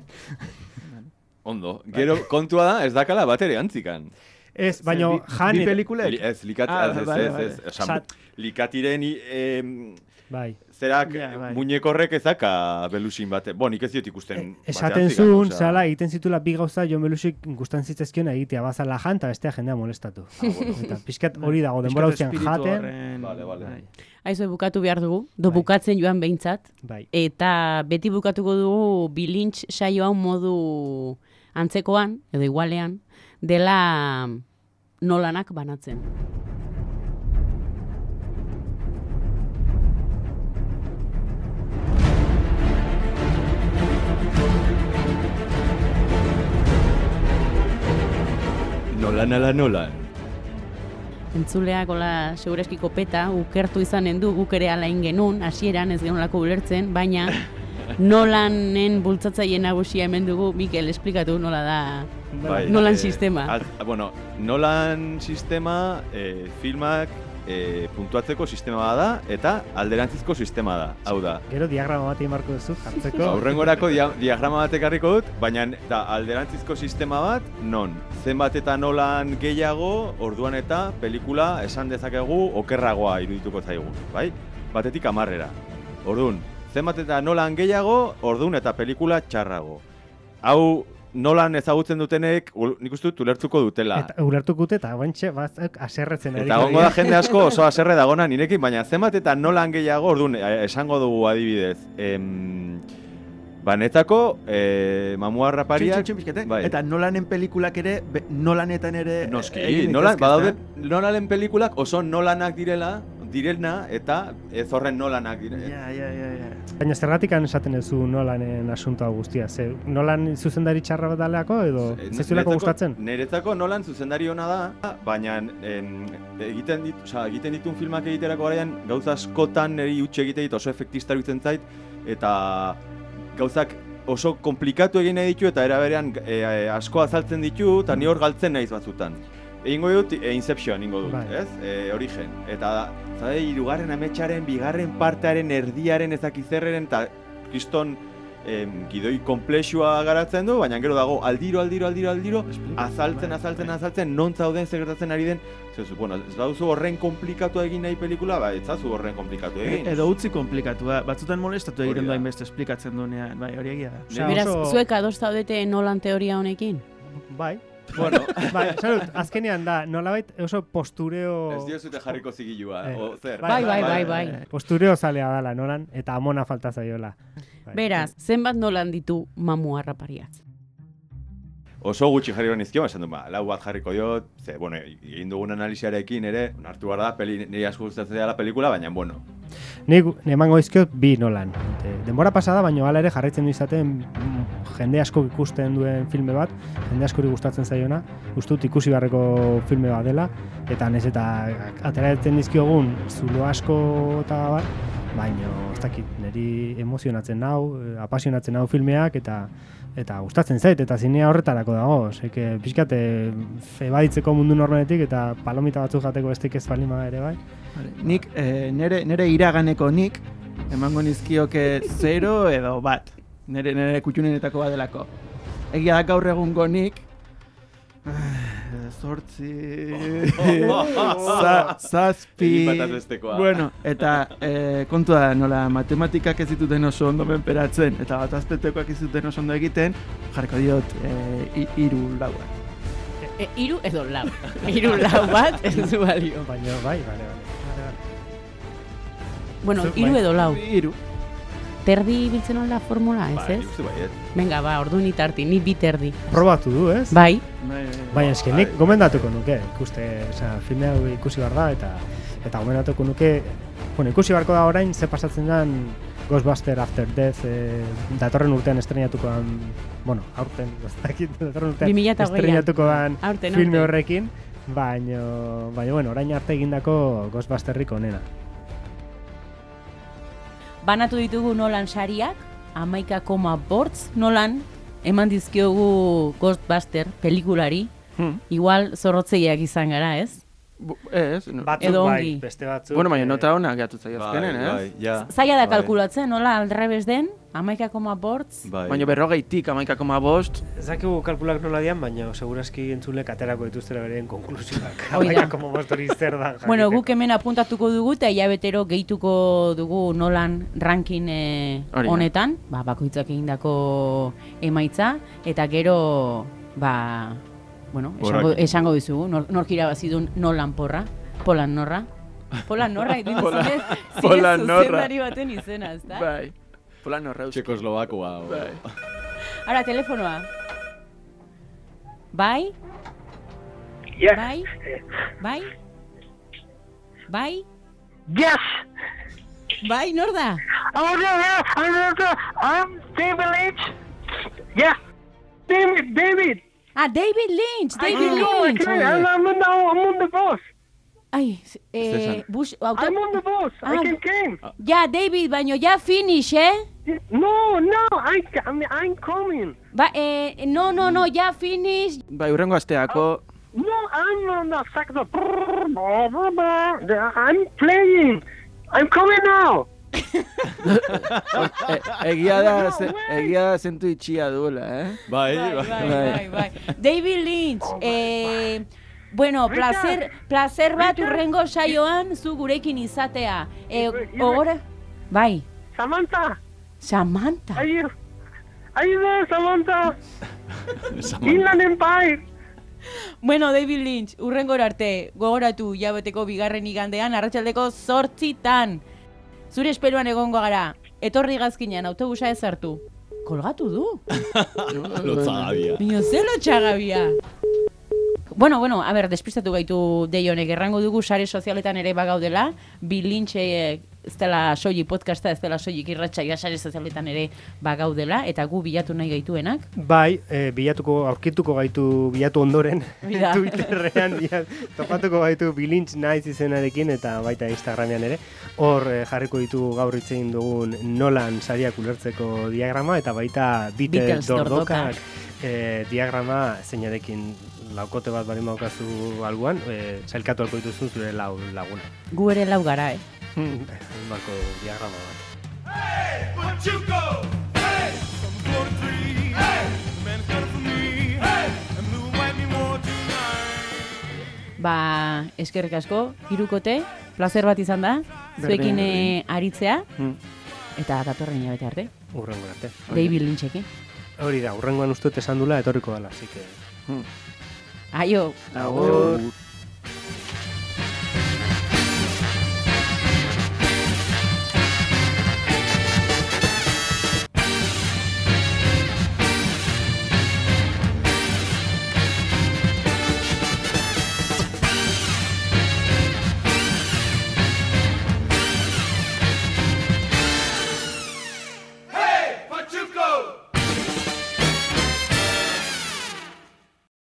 Ondo. Gero kontua da, ez dakala bat ere antzikan. Ez, baina Bi- jan... bi pelikulek? Li, ez, likat, Ah, ez, ez, vale, ez, vale. ez, esan, Sat- likatiren eh, Bai. zerak Ja, bai. muñekorrek ezaka belusin bate. Bo, nik ez diot ikusten. E, esaten batean zigan, zuen, osea. zala, egiten zitula bi gauza Jon Belusik gustan zitzezkion egitea, bazala jan, eta bestea jendea molestatu. Eta pixkat hori dago, denbora Pixkat guztian espiritu jaten. horren- Vale, vale. Bai. Aizu, bukatu behar dugu, do Bai. bukatzen joan behintzat, Bai. eta beti bukatuko dugu bilintz saio hau modu antzekoan, edo igualean, dela nolanak banatzen. Nolan ala nolan. Entzuleak hola segureski kopeta, ukertu izanen du, guk ere alain genuen, hasieran ez genolako ulertzen, baina Nolanen bultzatzaile nagusia hemen dugu, Mikel, esplikatu nola da Bai, Nolan eh, sistema. Al, bueno, Nolan sistema eh, filmak eh, puntuatzeko sistema da eta alderantzizko sistema da. Hau da, Gero diagrama bat egin barko duzu, jartzeko. aurrengorako dia, diagrama bat ekarriko dut, baina da alderantzizko sistema bat non zenbat eta Nolan gehiago, orduan eta pelikula esan dezakegu okerragoa irudituko zaigu, bai? Batetik hamarrera. Orduan, zenbat eta Nolan gehiago, orduan eta pelikula txarrago. Hau Nolan ezagutzen dutenek, ul- nik uste dut ulertuko dutela. Eta ulertuko dute, eta guantxe, batzak aserretzen. Eta gongo da jende asko oso haserre dagona nirekin, baina zenbat eta Nolan gehiago, orduan, eh, esango dugu adibidez. Em, banetako, eh, mamua rapariak... Txin, txin, pixkate. bai. Eta Nolanen pelikulak ere, be, Nolanetan ere... Noski, egin Nolan, daitezke, badaude ezta? Nolanen pelikulak oso Nolanak direla, direna, eta ez horren Nolanak direla. Ja, ja, ja, ja. Baina zergatik esaten ez du Nolanen asuntoa guztia? Ze, Nolan zuzendari txarra bat daleako, edo Eh, zezulako niretzako- gustatzen? Niretzako Nolan zuzendari ona da, baina em, egiten dit, osea, egiten ditun filmak egiterako garaian gauza askotan niri utxe egite dit oso efektista iruditzen zait eta gauzak oso komplikatu egin nahi ditu eta era berean e, asko azaltzen ditu eta ni hor galtzen naiz batzutan. Egingo dut e, Inception egingo dut, Bai. ez? E, Origen. Eta zade hirugarren ametsaren, bigarren partearen, erdiaren ezakizerreren eta kriston em, gidoi komplexua garatzen du, baina gero dago aldiro, aldiro, aldiro, aldiro, azaltzen, azaltzen, azaltzen, non zauden zer gertatzen ari den. Zezu, bueno, ez baduzu horren komplikatu egin nahi pelikula, ba, ez zazu horren komplikatu egin. Edo utzi komplikatua, batzutan molestatu Hori egiten da. du hainbeste esplikatzen duenean, bai, hori egia da. Osea, Beraz, oso- zuek ados zaudete Nolan teoria honekin? Bai. Bueno, Bai, salut, azkenean da, nolabait oso postureo... ez diozute jarriko zigilua, Eh. o zer. Bai, bai, bai, bai. Postureo zalea dala Nolan, eta amona falta zaiola. Bai. Beraz, zenbat Nolan ditu mamu harrapariak? Oso gutxi jarriko nizkio, esan du, ba, lau bat jarriko diot, ze, bueno, egin dugun analiziarekin ere, hartu behar da, peli, niri asko gustatzen dela pelikula, baina, bueno, Nik emango dizkiot bi Nolan. E, denbora pasada, baino hala ere jarraitzen du izaten mm, jende asko ikusten duen filme bat, jende askori gustatzen zaiona, uste dut ikusi beharreko filme bat dela, eta nez eta ateratzen dizkiogun zulo asko eta bar, baino ez dakit, niri emozionatzen nau, eh, apasionatzen nau filmeak, eta eta gustatzen zait, eta zinea horretarako dago, seke pixkat eh, ebaditzeko mundu normaletik, eta palomita batzuk jateko bestik ez palima ere bai. Vale. Nik, eh, nere, nere iraganeko nik, emango nizkioke zero edo bat. Nere, nere kutxunenetako bat delako. Egia da gaur egungo nik, zortzi, za, zazpi, Egin bataz bestekoa. bueno, eta e, kontua da, nola matematikak ez dituten oso ondo menperatzen, eta bat azpetekoak ez dituten oso ondo egiten, jarriko diot e, iru laua. E, iru edo lau. Iru lau bat ez du balio. Baina bai, bale, bale. Bale, bale. Bueno, Zu- iru bai. edo lau. Iru. Terdi biltzen da formula, ez bai, ez? nik uste baiet. Venga, ba, ordu ni tarti, ni bi terdi. Probatu du, ez? Bai, Bai, Baina eski nik gomendatuko nuke, ikuste, osea, filme hau ikusi behar da, eta eta gomendatuko nuke, bueno, ikusi beharko da orain, ze pasatzen den Ghostbuster After Death, eh, datorren urtean estrenatuko den, bueno, aurten, ez dakit, datorren urtean bi mila hogeian. estrenatuko den Aurten, filme aurten. horrekin, baina, baina, bueno, orain arte egindako Ghostbusterrik onena. banatu ditugu Nolan sariak, hamaika koma bortz Nolan eman dizkiogu Ghostbuster pelikulari. Hmm. Igual zorrotzeiak izan gara, ez? Ez, no. Batzuk Edo bai, ongi. beste batzuk. Bueno, baina eh, nota honak gehiatu zaio Bai, azkenen, ez? bai, ja. Zaila da Bai. kalkulatzen, nola aldrebes den, hamaika koma bortz. Bai. Baina berrogeitik amaika koma bost, Ez dakigu kalkulak nola dian, baina segurazki entzulek aterako dituztera beren konklusioak. Hoi da. Hamaika koma bost hori zer da jakiteko. Bueno, guk hemen apuntatuko dugu eta hilabetero gehituko dugu nolan ranking eh, Hori da. honetan, ba, bakoitzak egindako emaitza, eta gero, ba, bueno, esango, Porrak. esango dizugu, nor, nork irabazi duen nolan porra, polan norra. Polan norra, egin Polan- zine, Polan zine norra. zuzendari baten izena, ezta? bai. Polan horreuz. Txekoslovakoa. o- Bai. Ara, telefonoa. Bai? Yes. Bai? Bai? Bai? Yes. Bai, nor da? Oh, no, no, I'm, I'm David Lynch. Yeah. David, David. Ah, David Lynch, I David can go, I Lynch. can. I'm, I'm, on- I'm on the bus. Ai, eh, César. Bush, auto... I'm on the bus. I Ah. can came. Ja, David, baino, ja finish, eh? No, no, I, I'm, I'm coming. Ba, eh, no, no, no, ja finish. Bai, urrengo asteako, No, I'm on the sector. I'm playing. I'm coming now. e, egia da, ze, egia da zentu itxia duela, eh? Bai, Bai, bai. bai, bai, bai. David Lynch, eh, bueno, placer, placer bat urrengo saioan zu gurekin izatea. Eh, ogora? Bai, Samantha, Samantha. are you, are you there, Samantha? Inland Empire. Bueno, David Lynch, urrengo arte, gogoratu jabeteko bigarren igandean, arratsaldeko zortzitan. Zure esperoan egongo gara, etorri gazkinean autobusa ez hartu. Kolgatu du. Lotzagabia. Bino ze lotxagabia. Bueno, bueno, a ber, despistatu gaitu deionek, errango dugu sare sozialetan ere bagaudela, Bi Lynch eh, ez dela soilik podcasta, ez dela soilik irratsaioa, sare sozialetan ere bagaudela, eta gu bilatu nahi gaituenak. Bai, e, bilatuko, aurkituko gaitu bilatu ondoren, Mira. Twitterrean bilat, topatuko gaitu Bilintz naiz izenarekin eta baita Instagramean ere. Hor e, jarriko ditugu gaur hitz egin dugun nolan sariak ulertzeko diagrama eta baita Beatles Beatles dordokak e, diagrama zeinarekin laukote bat bari maukazu alguan, e, zailkatu alko dituzun zure lau laguna. Gu ere lau gara, eh? Balko diagrama bat. Ba, eskerrik asko, hirukote, placer bat izan da, zuekin eh, aritzea, Hmm. eta datorren hilabete arte, Urrengo arte. David Lynchekin. Hori da, urrengoan uste dut esan dula etorriko dela, así que... Hmm. Aio! Agur.